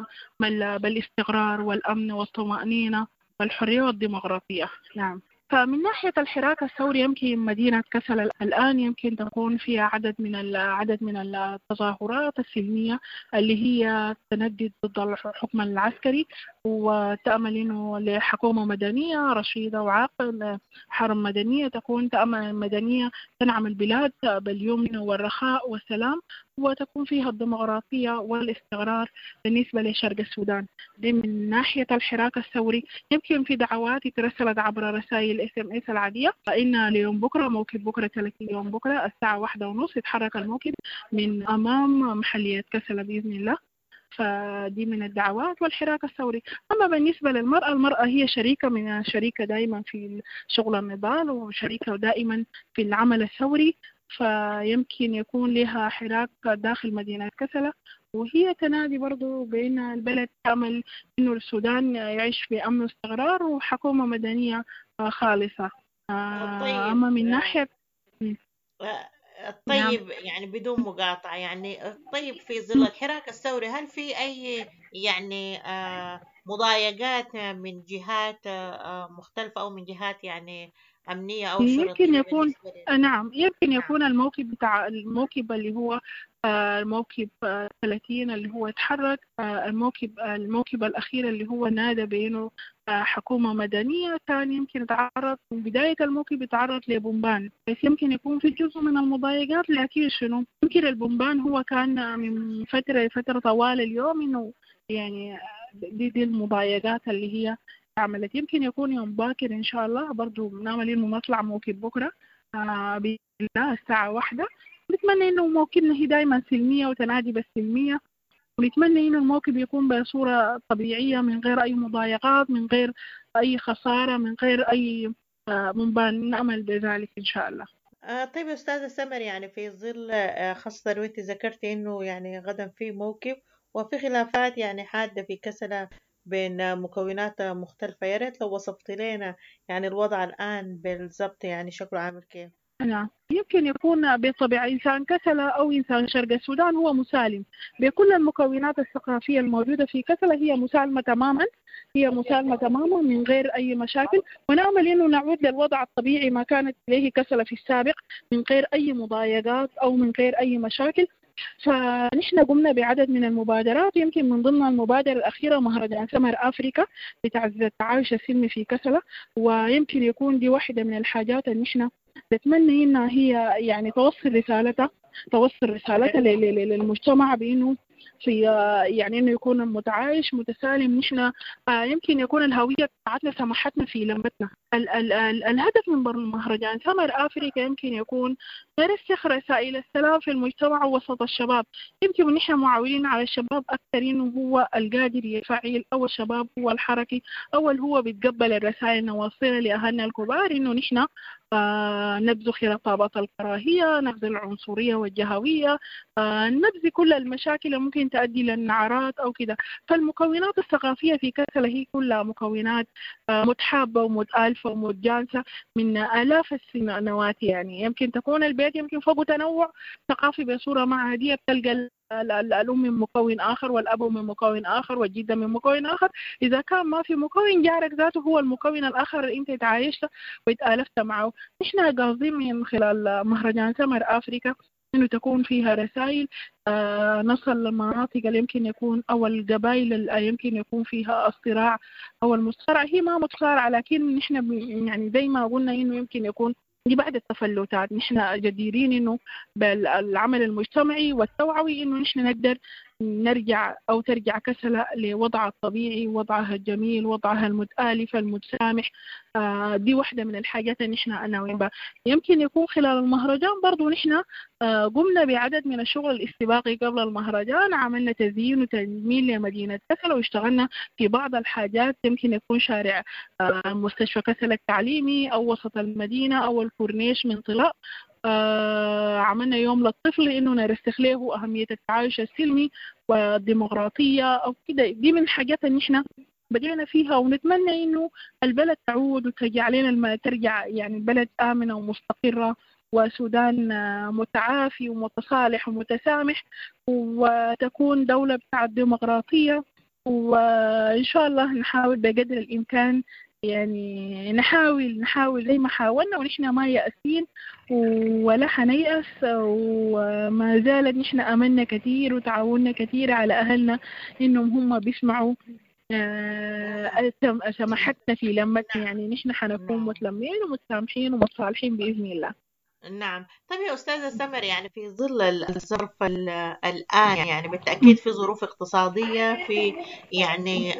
بالاستقرار والأمن والطمأنينة والحرية والديمقراطية. نعم. فمن ناحية الحراك الثوري يمكن مدينة كسلة الآن يمكن تكون فيها عدد من التظاهرات السلمية اللي هي تندد ضد الحكم العسكري، وتأمل إنه لحكومة مدنية رشيدة وعاقلة، حرم مدنية تكون تأمل مدنية تنعم البلاد باليمن والرخاء والسلام، وتكون فيها الديمقراطية والاستقرار بالنسبة لشرق السودان. دي من ناحية الحراك الثوري. يمكن في دعوات ترسلت عبر رسائل SMS العادية إن ليوم بكرة موكب بكرة 30 يوم بكرة الساعة 1:30 يتحرك الموكب من أمام محلية كسلة بإذن الله. فدي من الدعوات والحراك الثوري. أما بالنسبة للمرأة، المرأة هي شريكة دائما في شغل النضال، وشريكة دائما في العمل الثوري، فيمكن يكون لها حراك داخل مدينة كسلة، وهي تنادي برضو بأن البلد تعمل إنه السودان يعيش في أمن واستقرار وحكومة مدنية خالصة. طيب. أما من ناحية طيب نعم. يعني بدون مقاطعة، يعني طيب في ظل الحراك الثوري هل في أي يعني مضايقات من جهات مختلفة أو من جهات يعني أمنية أو شرطية؟ يمكن يكون نعم، يمكن يكون الموكب بتاع الموكب اللي هو الموكب 30 اللي هو اتحرك، الموكب الأخير اللي هو نادى بأنه حكومة مدنية، كان يمكن يتعرض من بداية الموكب يتعرض لبومبان، بس يمكن يكون في جزء من المضايقات. لكن شنو يمكن البومبان هو كان من فترة لفترة طوال اليوم إنه يعني دي المضايقات اللي هي عملت. يمكن يكون يوم باكر إن شاء الله برضو بنعمل إنه نطلع موكب بكرة بإذن الله الساعة 1. نتمنى إنه موكبنا هي دايما سلمية وتنادي بالسلمية، ونتمنى إنه الموكب يكون بصورة طبيعية من غير أي مضايقات، من غير أي خسارة، من غير أي منبان. نأمل بذلك إن شاء الله. طيب يا أستاذة سمر، يعني في ظل خاصة وأنت ذكرتي إنه يعني غدا في موكب وفي خلافات يعني حادة في كسلة بين مكونات مختلفة، يا ريت لو وصفت لنا يعني الوضع الآن بالضبط يعني شكله عامل كيف؟ نعم، يمكن يكون بطبيعة إنسان كسلة أو إنسان شرق السودان هو مسالم بكل المكونات الثقافية الموجودة في كسلة، هي مسالمة تماما، هي مسالمة تماما من غير أي مشاكل، ونأمل إنه نعود للوضع الطبيعي ما كانت إليه كسلة في السابق من غير أي مضايقات أو من غير أي مشاكل. فنحن قمنا بعدد من المبادرات، يمكن من ضمن المبادرة الأخيرة مهرجان سمر أفريكا لتعزيز التعايش السلمي في كسلة، ويمكن يكون دي واحدة من الحاجات اللي نحن نتمنى إنها هي يعني توصل رسالتها للمجتمع بإنه في يعني إنه يكون متعايش متسالم. نحن يمكن يكون الهوية بتاعتنا سمحتنا في لمتنا. ال ال ال الهدف من مهرجان سمر أفريكا يمكن يكون نرسخ رسائل السلام في المجتمع وسط الشباب. يمكن نحن معولين على الشباب أكثر إنه هو القادر يفعل، أو الشباب هو الحركي، أو هو بيتقبل الرسائل نوصلها لأهلنا الكبار إنه نحن نبذ خطابات الكراهية، نبذ العنصرية والجهوية، نبذ كل المشاكل اللي ممكن تؤدي للنعرات أو كده. فالمكونات الثقافية في كسلة هي كلها مكونات متحابة ومتآلفة ومتجانسة من آلاف السنوات. يعني يمكن تكون البيت يمكن فوق تنوع ثقافي بصورة ما عادية، بتلقى الأم من مكون آخر والأب من مكون آخر والجدة من مكون آخر. إذا كان ما في مكون، جارك ذاته هو المكون الآخر اللي أنت تعايشت وتآلفت معه. نحن قاصدين من خلال مهرجان سمر أفريكا إنه تكون فيها رسائل، نصل للمناطق اللي يمكن يكون أو القبائل اللي يمكن يكون فيها الصراع أو المصارعة. هي ما متصارعة، لكن نحن يعني زي ما قلنا إنه يمكن يكون دي بعد التفلتات. نحن جديرين إنه بالعمل المجتمعي والتوعوي إنه نحن نقدر نرجع أو ترجع كسلة لوضعها الطبيعي، وضعها الجميل، وضعها المتآلف المتسامح. دي واحدة من الحاجات اللي نحن ناويين بها. يمكن يكون خلال المهرجان برضو نحن قمنا بعدد من الشغل الاستباقي قبل المهرجان، عملنا تزيين وتجميل لمدينة كسلة واشتغلنا في بعض الحاجات، يمكن يكون شارع مستشفى كسلة التعليمي أو وسط المدينة أو الكورنيش من طلاء. عملنا يوم للطفل إنه نرسخ له أهمية التعايش السلمي والديمقراطية أو كده. دي من الحاجات اللي نحن بدينا فيها، ونتمنى إنه البلد تعود وترجع لنا ترجع يعني البلد آمنة ومستقرة، وسودان متعافي ومتصالح ومتسامح، وتكون دولة بتاعت ديمقراطية. وإن شاء الله نحاول بقدر الإمكان، يعني نحاول زي ما حاولنا، ونحن ما يأسين ولا حنيأس، وما زالت نحن أملنا كثير وتعاوننا كثير على أهلنا إنهم هم بيسمعوا سماحتنا في لمتنا. يعني نحن حنكون متلمين ومتسامحين ومتصالحين بإذن الله. نعم. طيب يا أستاذة سمر، يعني في ظل الظرف الآن، يعني بالتأكيد في ظروف اقتصادية، في يعني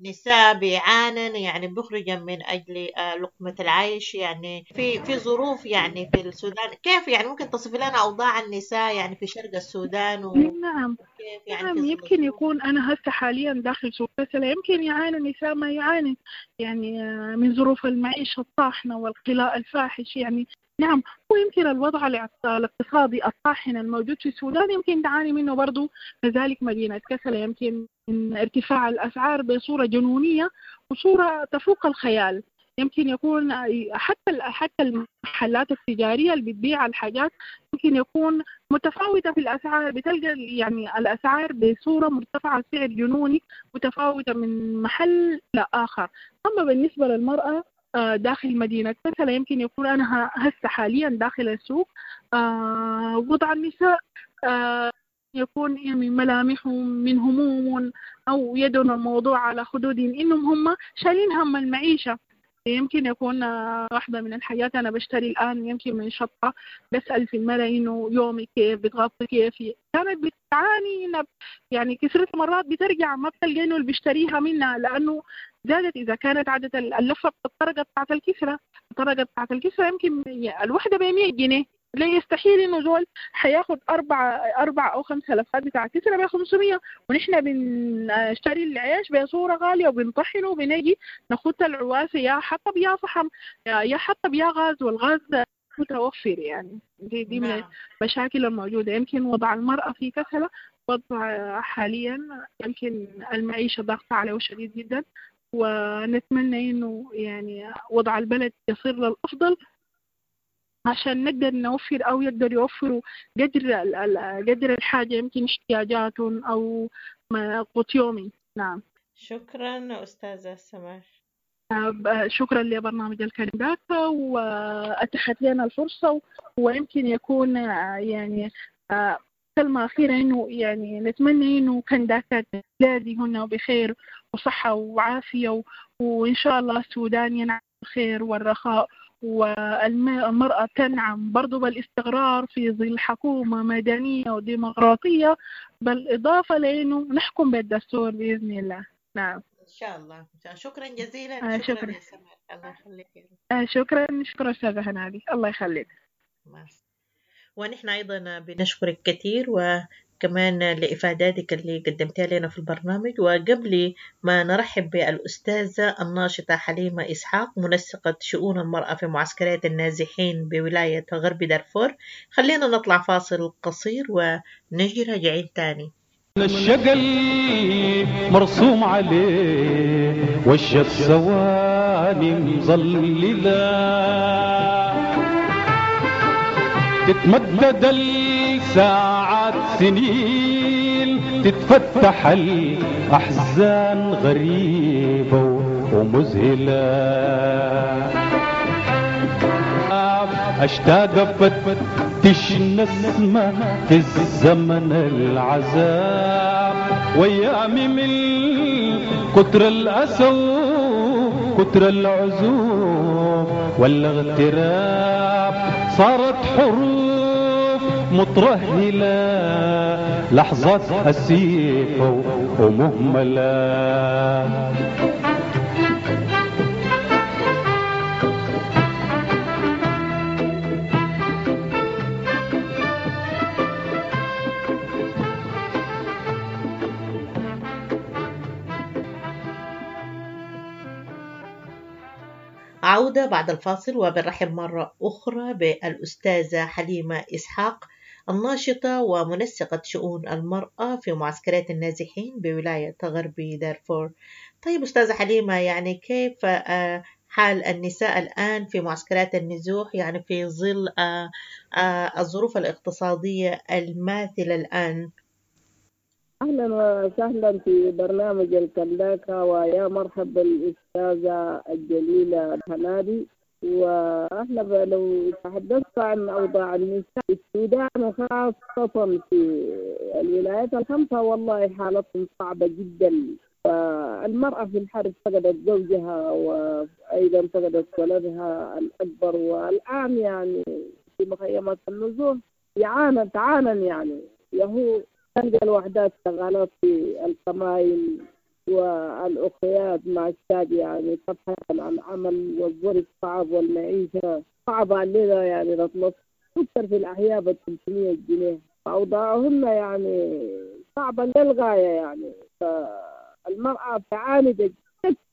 نساء بيعانن يعني بيخرجن من أجل لقمة العيش، يعني في ظروف يعني في السودان، كيف يعني ممكن تصف لنا أوضاع النساء يعني في شرق السودان نعم. وكيف يعني نعم، في ظل يمكن يكون أنا هسه حاليا داخل سوق كسلة يمكن يعاني النساء ما يعاني يعني من ظروف المعيشة الطاحنة والقلاء الفاحش يعني. نعم، ويمكن الوضع الاقتصادي الطاحن الموجود في السودان يمكن تعاني منه برضو كذلك مدينة كسلة، يمكن من ارتفاع الأسعار بصورة جنونية وصورة تفوق الخيال. يمكن يكون حتى المحلات التجارية اللي بتبيع الحاجات يمكن يكون متفاوتة في الأسعار، بتلقى يعني الأسعار بصورة مرتفعة، سعر جنوني متفاوتة من محل لآخر. أما بالنسبة للمرأة داخل مدينة كسلة، يمكن يكون أنا هسه حاليا داخل السوق وضع النساء يكون يعني ملامحهم من هموم أو يدن الموضوع على خدودهم، إنهم هم شايلين هم المعيشة. يمكن يكون واحدة من الحاجات أنا بشتري الآن يمكن من شطة، بسأل في المرأة إنه يومي كيف، بتغطي كيف، كانت بتعاني يعني كثيرة مرات بترجع ما بتلقى إنه اللي بيشتريها منها، لأنه زادت. إذا كانت عادة اللفة الطرقة بتاعت الكسرة، الطرقة بتاعت الكسرة يمكن الوحدة ب100 جنيه، لا يستحيل إنه زول حياخد أربع أو 5 لفات بتاع كسرة ب500، ونحن بنشتري العيش بصورة غالية وبنطحنه وبنجي ناخد العواسة يا حطب يا فحم يا حطب يا غاز، والغاز متوفر. يعني دي من المشاكل الموجودة. يمكن وضع المرأة في كسلة وضع حاليا يمكن المعيشة ضغط عليه شديد جدا، ونتمنى إنه يعني وضع البلد يصير للأفضل عشان نقدر نوفر أو يقدر يوفروا قدر الحاجة، يمكن احتياجاتهم أو قوت يومي. نعم. شكرا أستاذة سمر. شكرا لبرنامج الكنداكا وأتاحت لنا الفرصة، ويمكن يكون يعني كلمة أخيرة إنه يعني نتمنى إنه كنداكا تلاقي هنا بخير وصحة وعافية، وإن شاء الله السودان ينعم الخير والرخاء، والمرأة تنعم برضو بالاستقرار في ظل حكومة مدنية وديمقراطية، بالإضافة لأنه نحكم بالدستور بإذن الله. نعم إن شاء الله. شكرا جزيلا. شكرا يا سمر، الله يخليك. شكرا، شكرا أستاذة هنادي، الله يخليك. ونحن أيضا بنشكرك كثير وكمان لإفاداتك اللي قدمتها لنا في البرنامج. وقبل ما نرحب بالأستاذة الناشطة حليمة إسحاق منسقة شؤون المرأة في معسكرات النازحين بولاية غرب دارفور، خلينا نطلع فاصل قصير ونجي راجعين تاني. الشقل مرسوم عليه وش الثواني مظللة، تتمدد الساعات بعد سنين تتفتح الأحزان غريبة ومذهلة. أشتاق أفتش نسمة في الزمن العذاب، وأيامي من كتر الأسى كتر العزوف والاغتراب صارت حروف مترهلة، لحظات أسيفة ومهملة. عودة بعد الفاصل، وبنرحب مرة أخرى بالأستاذة حليمة إسحاق، الناشطة ومنسقة شؤون المرأة في معسكرات النازحين بولاية غرب دارفور. طيب أستاذة حليمة، يعني كيف حال النساء الآن في معسكرات النزوح، يعني في ظل الظروف الاقتصادية الماثلة الآن؟ أهلا وسهلا في برنامج الكنداكة، ويا مرحبا بالأستاذة الجليلة هنادي. وأهلا، لو تحدثت عن أوضاع النساء في السودان وخاصة في الولايات الخمسة، والله حالتهم صعبة جدا. المرأة في الحرب فقدت زوجها وأيضا فقدت ولدها الأكبر، والآن يعني في مخيمات النزوح تعانى يعني يهو تلقى الوحدات شغالات في الكمائن والأخيات مع الشاب يعني تبحث عن عمل، والظرف صعب والمعيشة صعبة علينا يعني نطلب سكر في الأحياء ب 300 جنيه، فأوضاعهن يعني صعبة للغاية يعني. فالمرأة تعاني بجد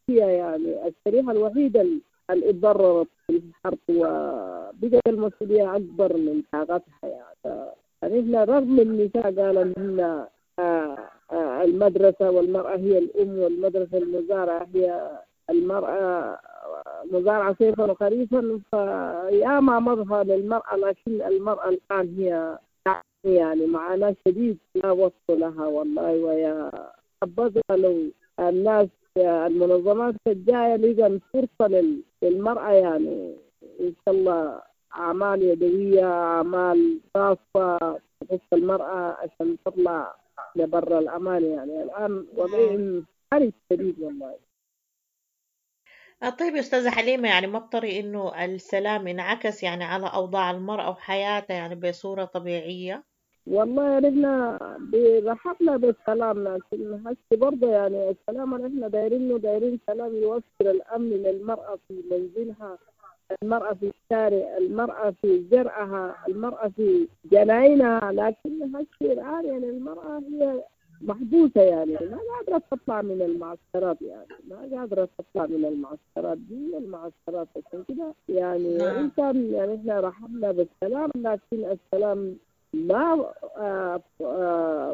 يعني الشريحة الوحيدة اللي اتضررت في الحرب وبقت المسؤولية أكبر من طاقتها يعني. يعني احنا رغم النساء قالوا ان المدرسة والمرأة هي الأم، والمدرسة المزارعة هي المرأة مزارعة صيفا وخريفا، فياما مظهر للمرأة، لكن المرأة الآن هي يعني معاناة شديد لا وصف لها والله. ويا حبذا لو الناس المنظمات الجاية لقى فرصة للمرأة يعني إن شاء الله أعمال يدوية، أعمال خاصة تخص المرأة عشان تطلع لبر الأمان يعني. الآن وضعهم حرج شديد والله. طيب يا أستاذة حليمة، يعني ما بطري إنه السلام انعكس يعني على أوضاع المرأة وحياتها يعني بصورة طبيعية؟ والله نحن رحبنا بالسلام، لكن هسه برضه يعني السلام نحن دايرينه، دايرين سلام يوفر الأمن للمرأة في منزلها، المرأة في الشارع، المرأة في زرعها، المرأة في جناينها. لكن هسه الآن يعني المرأة هي محبوسة يعني ما قادرة تطلع من المعسكرات، يعني ما قادرة تطلع من المعسكرات دي المعسكرات. عشان كده يعني إنسان يعني إحنا رحبنا بالسلام، لكن السلام ما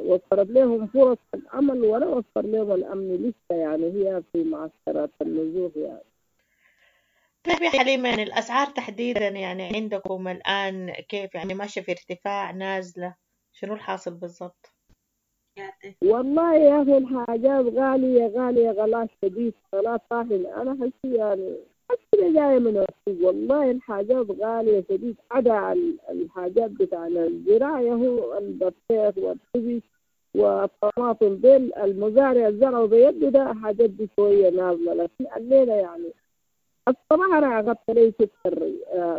وفرت لهم فرص العمل ولا وفر لهم الأمن لسه يعني، هي في معسكرات النزوح يعني. طيب يا حليمة، يعني الأسعار تحديدا يعني عندكم الآن كيف؟ يعني ماشية في ارتفاع، نازلة، شنو الحاصل بالضبط؟ والله يا أخي الحاجات غالية غالية غلاء شديد، غلاء طاحن. أنا حسي يعني حسي جاية من السوق والله الحاجات غالية شديد، عدا الحاجات بتاعنا الزراعة هو البطيخ والخبز والطماطم ديل المزارع الزرع بيده ده حاجات دي شوية نازلة. لكن الليلة يعني الصراحة أنا أخذت لي سكر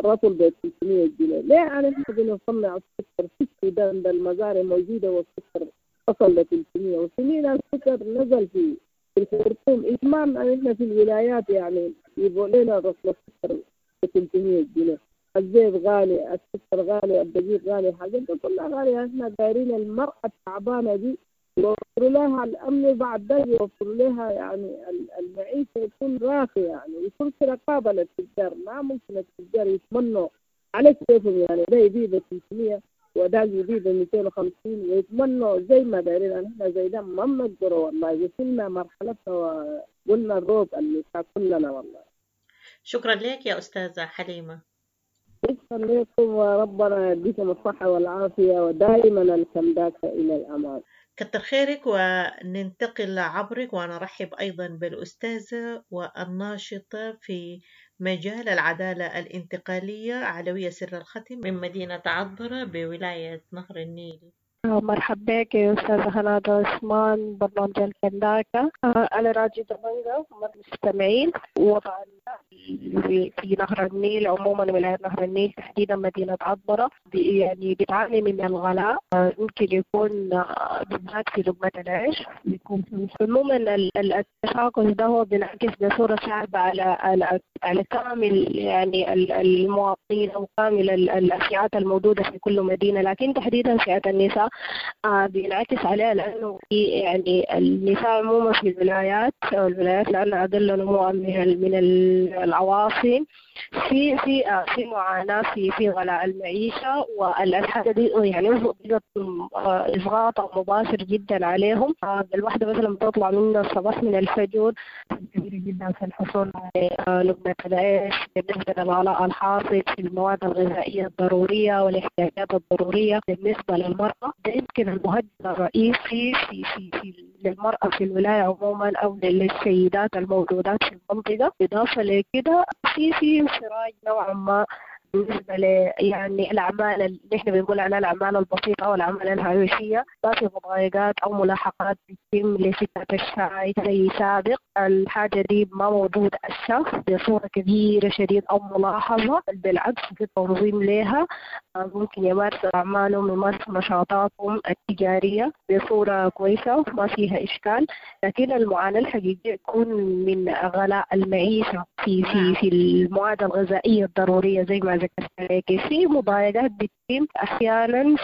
رطل ب 300 جنيه. ليه أنا إحنا بنصنع السكر في السودان ده المزارع موجودة والسكر وصل ل 300، وسنين السكر نزل في الخرطوم. إتمام إحنا في الولايات يعني يبقوا لنا رطل السكر ب 300 جنيه. الزيت غالي، السكر غالي، الدقيق غالي، الحاجات دي كلها غالية. إحنا دايرين المرأة التعبانة دي يوفروا لها الأمن، بعد ده يوفروا لها يعني المعيشة يكون راقي يعني، يكون في رقابة للتجار. ما ممكن التجار يتمنوا على كيفهم يعني، ده يبيع ب 300 وده يبيع ب 250 ويتمنوا زي ما دايرين. احنا زي ده ما بنقدروا والله، وصلنا مرحلتنا وقلنا الروب اللي كلنا والله. شكرا لك يا أستاذة حليمة. شكرا لكم وربنا يديكم الصحة والعافية، ودائما الكنداكة إلى الأمام. كتر خيرك. وننتقل عبرك ونرحب أيضا بالأستاذة والناشطة في مجال العدالة الانتقالية علوية سر الختم من مدينة عطبرة بولاية نهر النيل. مرحبا بك يا أستاذة هنادي عثمان، برنامج الكنداكة. أنا راجي دبنجة مستمعين. وضع في نهر النيل عموما، ولاية نهر النيل تحديدا مدينة عطبرة، يعني بتعاني من الغلاء، ممكن يكون بالذات في لقمة العيش. بيكون عموما التشاكس ده هو بينعكس بصورة صعبة على على كامل يعني المواطنين أو كامل الفئات الموجودة في كل مدينة، لكن تحديدا فئة النساء بينعكس عليها، لأنه يعني النساء عموما في الولايات لأنها أقل نموا من العواصم في في في معاناة في غلاء المعيشة، والحاجة دي يعني بقت إضغاط مباشر جدا عليهم. الواحدة مثلا بتطلع من الصباح من الفجر كبيرة جدا في الحصول على لقمة العيش بالنسبة للغلاء الحاصل في المواد الغذائية الضرورية والاحتياجات الضرورية بالنسبة للمرأة. ده يمكن المهدد الرئيسي في في في للمرأة في الولاية عموما أو للسيدات الموجودات في المنطقة. إضافة لكده في انفراج نوعا ما بالنسبة ل يعني الأعمال اللي احنا بنقول عليها الأعمال البسيطة أو الأعمال الهامشية، ما في مضايقات أو ملاحقات بتتم لستات الشاي زي سابق. الحاجة دي ما موجودة هسه بصورة كبيرة شديد أو ملاحظة، بالعكس في تنظيم لها، ممكن يمارسوا أعمالهم يمارسوا نشاطاتهم التجارية بصورة كويسة ما فيها إشكال. لكن المعاناة الحقيقية تكون من غلاء المعيشة في في في المواد الغذائية الضرورية زي ما ذكرت لك. في مضايقات بتتم أحيانا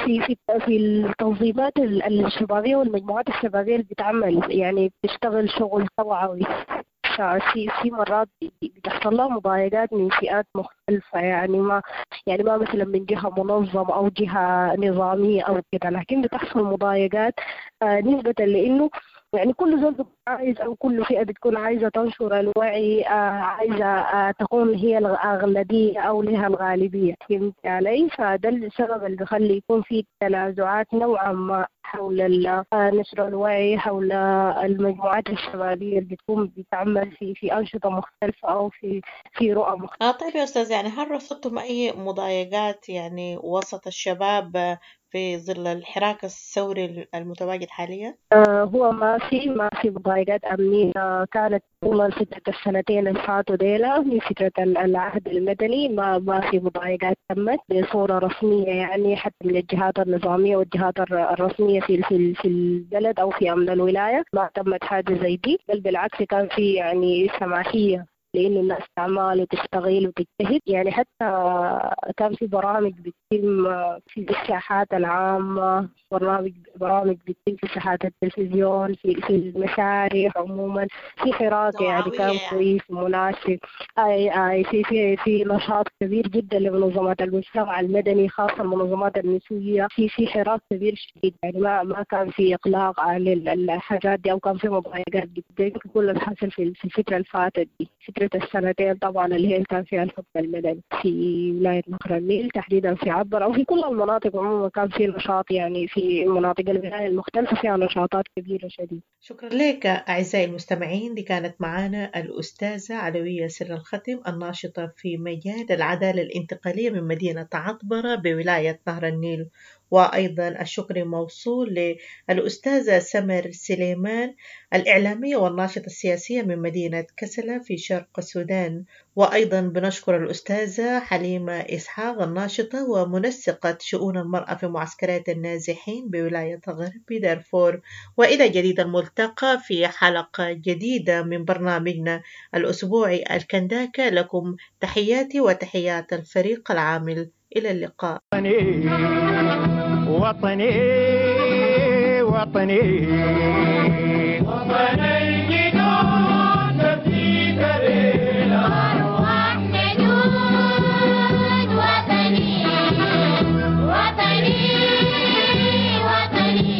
في في في التنظيمات الشبابية والمجموعات الشبابية اللي بتعمل يعني بتشتغل شغل توعوي، في مرات بتحصل لها مضايقات من فئات مختلفة، يعني ما مثلا من جهة منظمة أو جهة نظامية أو كده، لكن بتحصل مضايقات نسبة لأنه يعني كل زول بيكون عايز أو كل فئة بتكون عايزة تنشر الوعي، عايزة تكون هي الأغلبية أو لها الغالبية، فهمت علي؟ فده السبب اللي بيخلي يكون في تنازعات نوعا ما حول نشر الوعي، حول المجموعات الشبابية اللي بتكون بتعمل في أنشطة مختلفة أو في رؤى مختلفة. طيب يا أستاذ، يعني هل رصدتم أي مضايقات يعني وسط الشباب في ظل الحراك الثوري المتواجد حاليا؟ هو ما في مضايقات أمنية كانت طول فترة السنتين اللي فاتوا ديلا من فترة العهد المدني، ما في مضايقات تمت بصورة رسمية، يعني حتى من الجهات النظامية والجهات الرسمية في في في البلد أو في أمن الولاية ما تمت حاجة زي دي، بل بالعكس كان في يعني سماحية لأنه الناس تعمل وتشتغل وتجتهد. يعني حتى كان في برامج بتتم في الساحات العامة، برامج بتتم في ساحات التلفزيون، في المسارح عموما، في حراك يعني كان كويس ومناسب. أي في في في نشاط كبير جدا لمنظمات المجتمع المدني، خاصة المنظمات النسوية، في حراك كبير شديد، يعني ما كان في إغلاق على الحاجات دي أو كان في مضايقات جدا. كل الحاصل في الفترة اللي فاتت دي، فترة السنتين طبعا اللي هي كان فيها الحكم المدني في ولاية نهر النيل تحديدا في عبر أو في كل المناطق عموما كان في نشاط، يعني في مناطق الولاية المختلفة فيها نشاطات كبيرة شديد. شكرا لك أعزائي المستمعين، دي كانت معنا الأستاذة علوية سر الختم الناشطة في مجال العدالة الانتقالية من مدينة عطبرة بولاية نهر النيل، وأيضا الشكر موصول للأستاذة سمر سليمان الإعلامية والناشطة السياسية من مدينة كسلة في شرق السودان، وأيضا بنشكر الأستاذة حليمة إسحاق الناشطة ومنسقة شؤون المرأة في معسكرات النازحين بولاية غرب دارفور. وإلى جديد الملتقى في حلقة جديدة من برنامجنا الأسبوعي الكنداكة. لكم تحياتي وتحيات الفريق العامل، إلى اللقاء. وطني وطني وطني الجدود نفديك ليلة، أرواح نجود. وطني وطني وطني.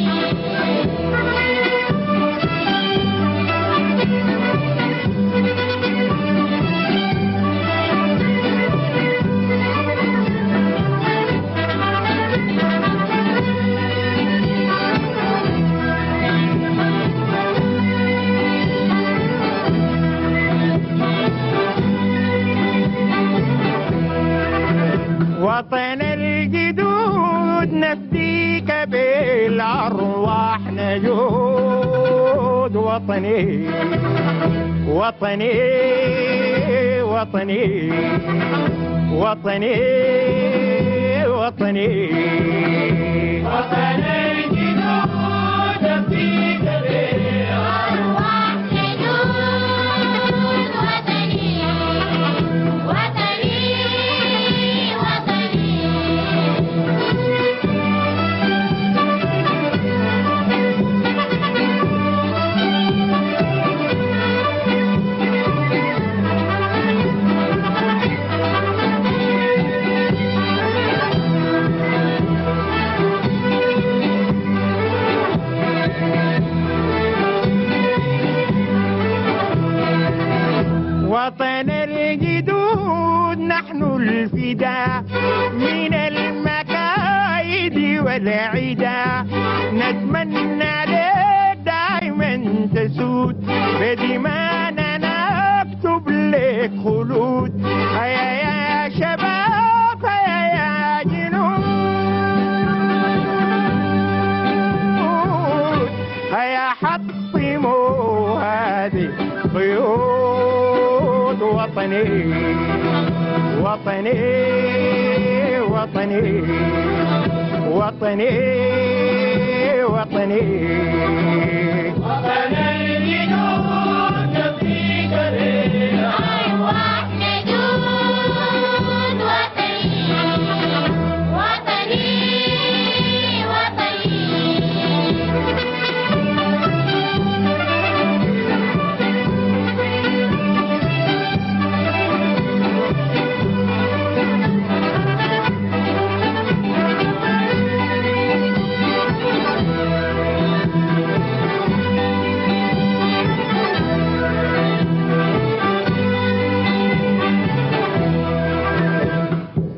أرواح نجود. وطني وطني وطني وطني وطني وطني الجدود فيك أرواح نجود. وطني وطني وطني. وطن الجدود نحن الفداء من المكايد والعدا، نتمنى لك دائما تسود، بدمانا نكتب لك خلود. هيا يا شباب هيا يا جنود، هيا حطموا هذه قيود. وطني وطني وطني وطني وطني وطني الجدود فيك أرواح نجود. وطني وطني وطني.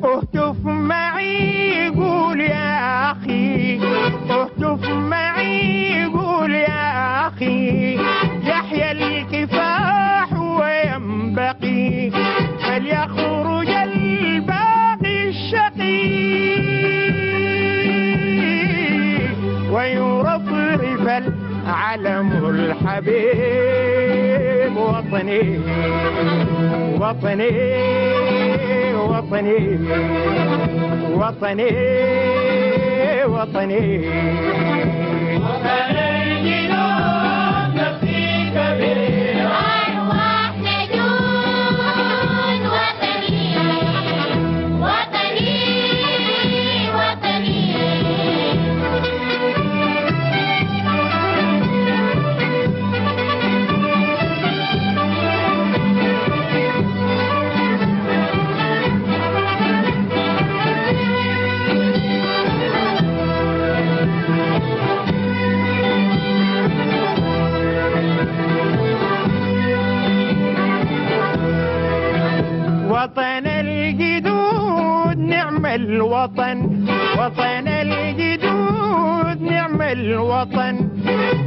اهتف معي قول يا أخي، اهتف معي قول يا أخي، يحيى الكفاح وينبغي فليخرج الباغي الشقي، ويرفرف العلم الحبيب. وطني وطني وطني وطني وطني وطني الجدود فيك أرواح نجود. وطني وطني وطني. وطن الجدود نعم الوطن، وطن الجدود نعم الوطن،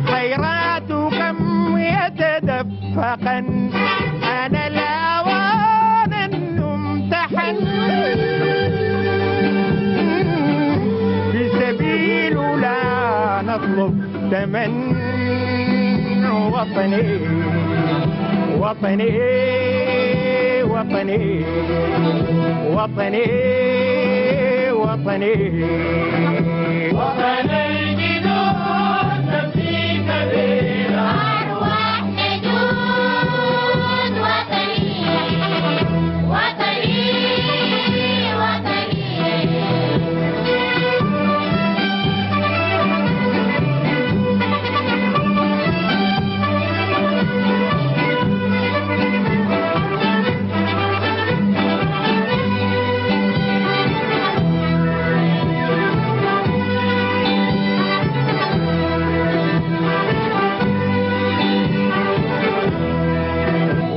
خيرات كم يتدفقن، أنا الأوان أن أمتحن، بسبيل لا نطلب ثمن. وطني وطني وطني وطني وطني وطني الجدود فيك أرواح نجود. وطني وطني وطني.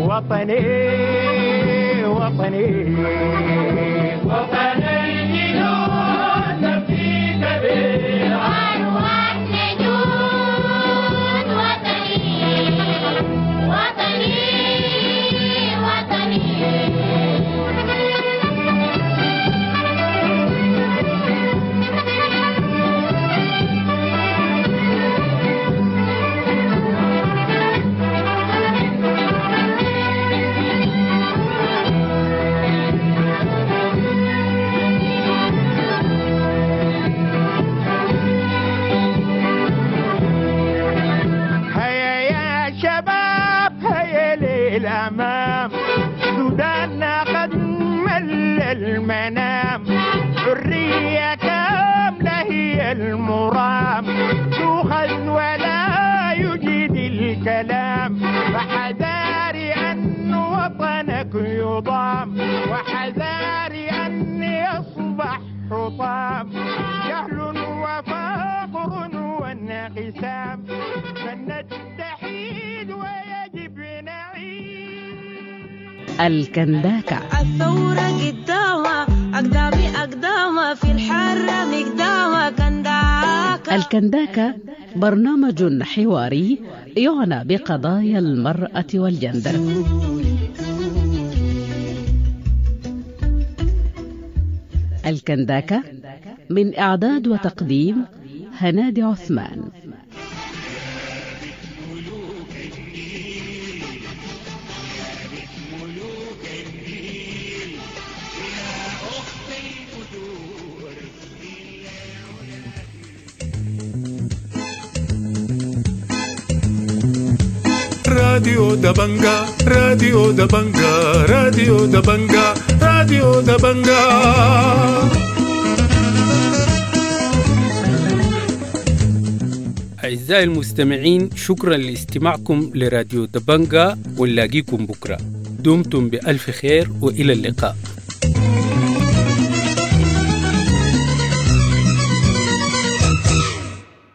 وطني وطني وطني الجنود فيك أرواح نجود. وطني وطني وطني. الخصام تؤخذ ولا يجيد الكلام، فحذاري أن وطنك يضام، وحذاري أن يصبح حطام، جهل وفقر وانقسام، فلنتحيد ويجب نعيش. الكنداكة. الثورة قدامها أقدامي أقدامها في الحرة مقدامها كنداكة. الكنداكة برنامج حواري يعنى بقضايا المرأة والجندر. الكنداكة من إعداد وتقديم هنادي عثمان. راديو دبنجا، راديو دبنجا، راديو دبنجا، راديو دبنجا. أعزائي المستمعين، شكرا لاستماعكم لراديو دبنجا، ونلاقيكم بكرة. دمتم بألف خير وإلى اللقاء.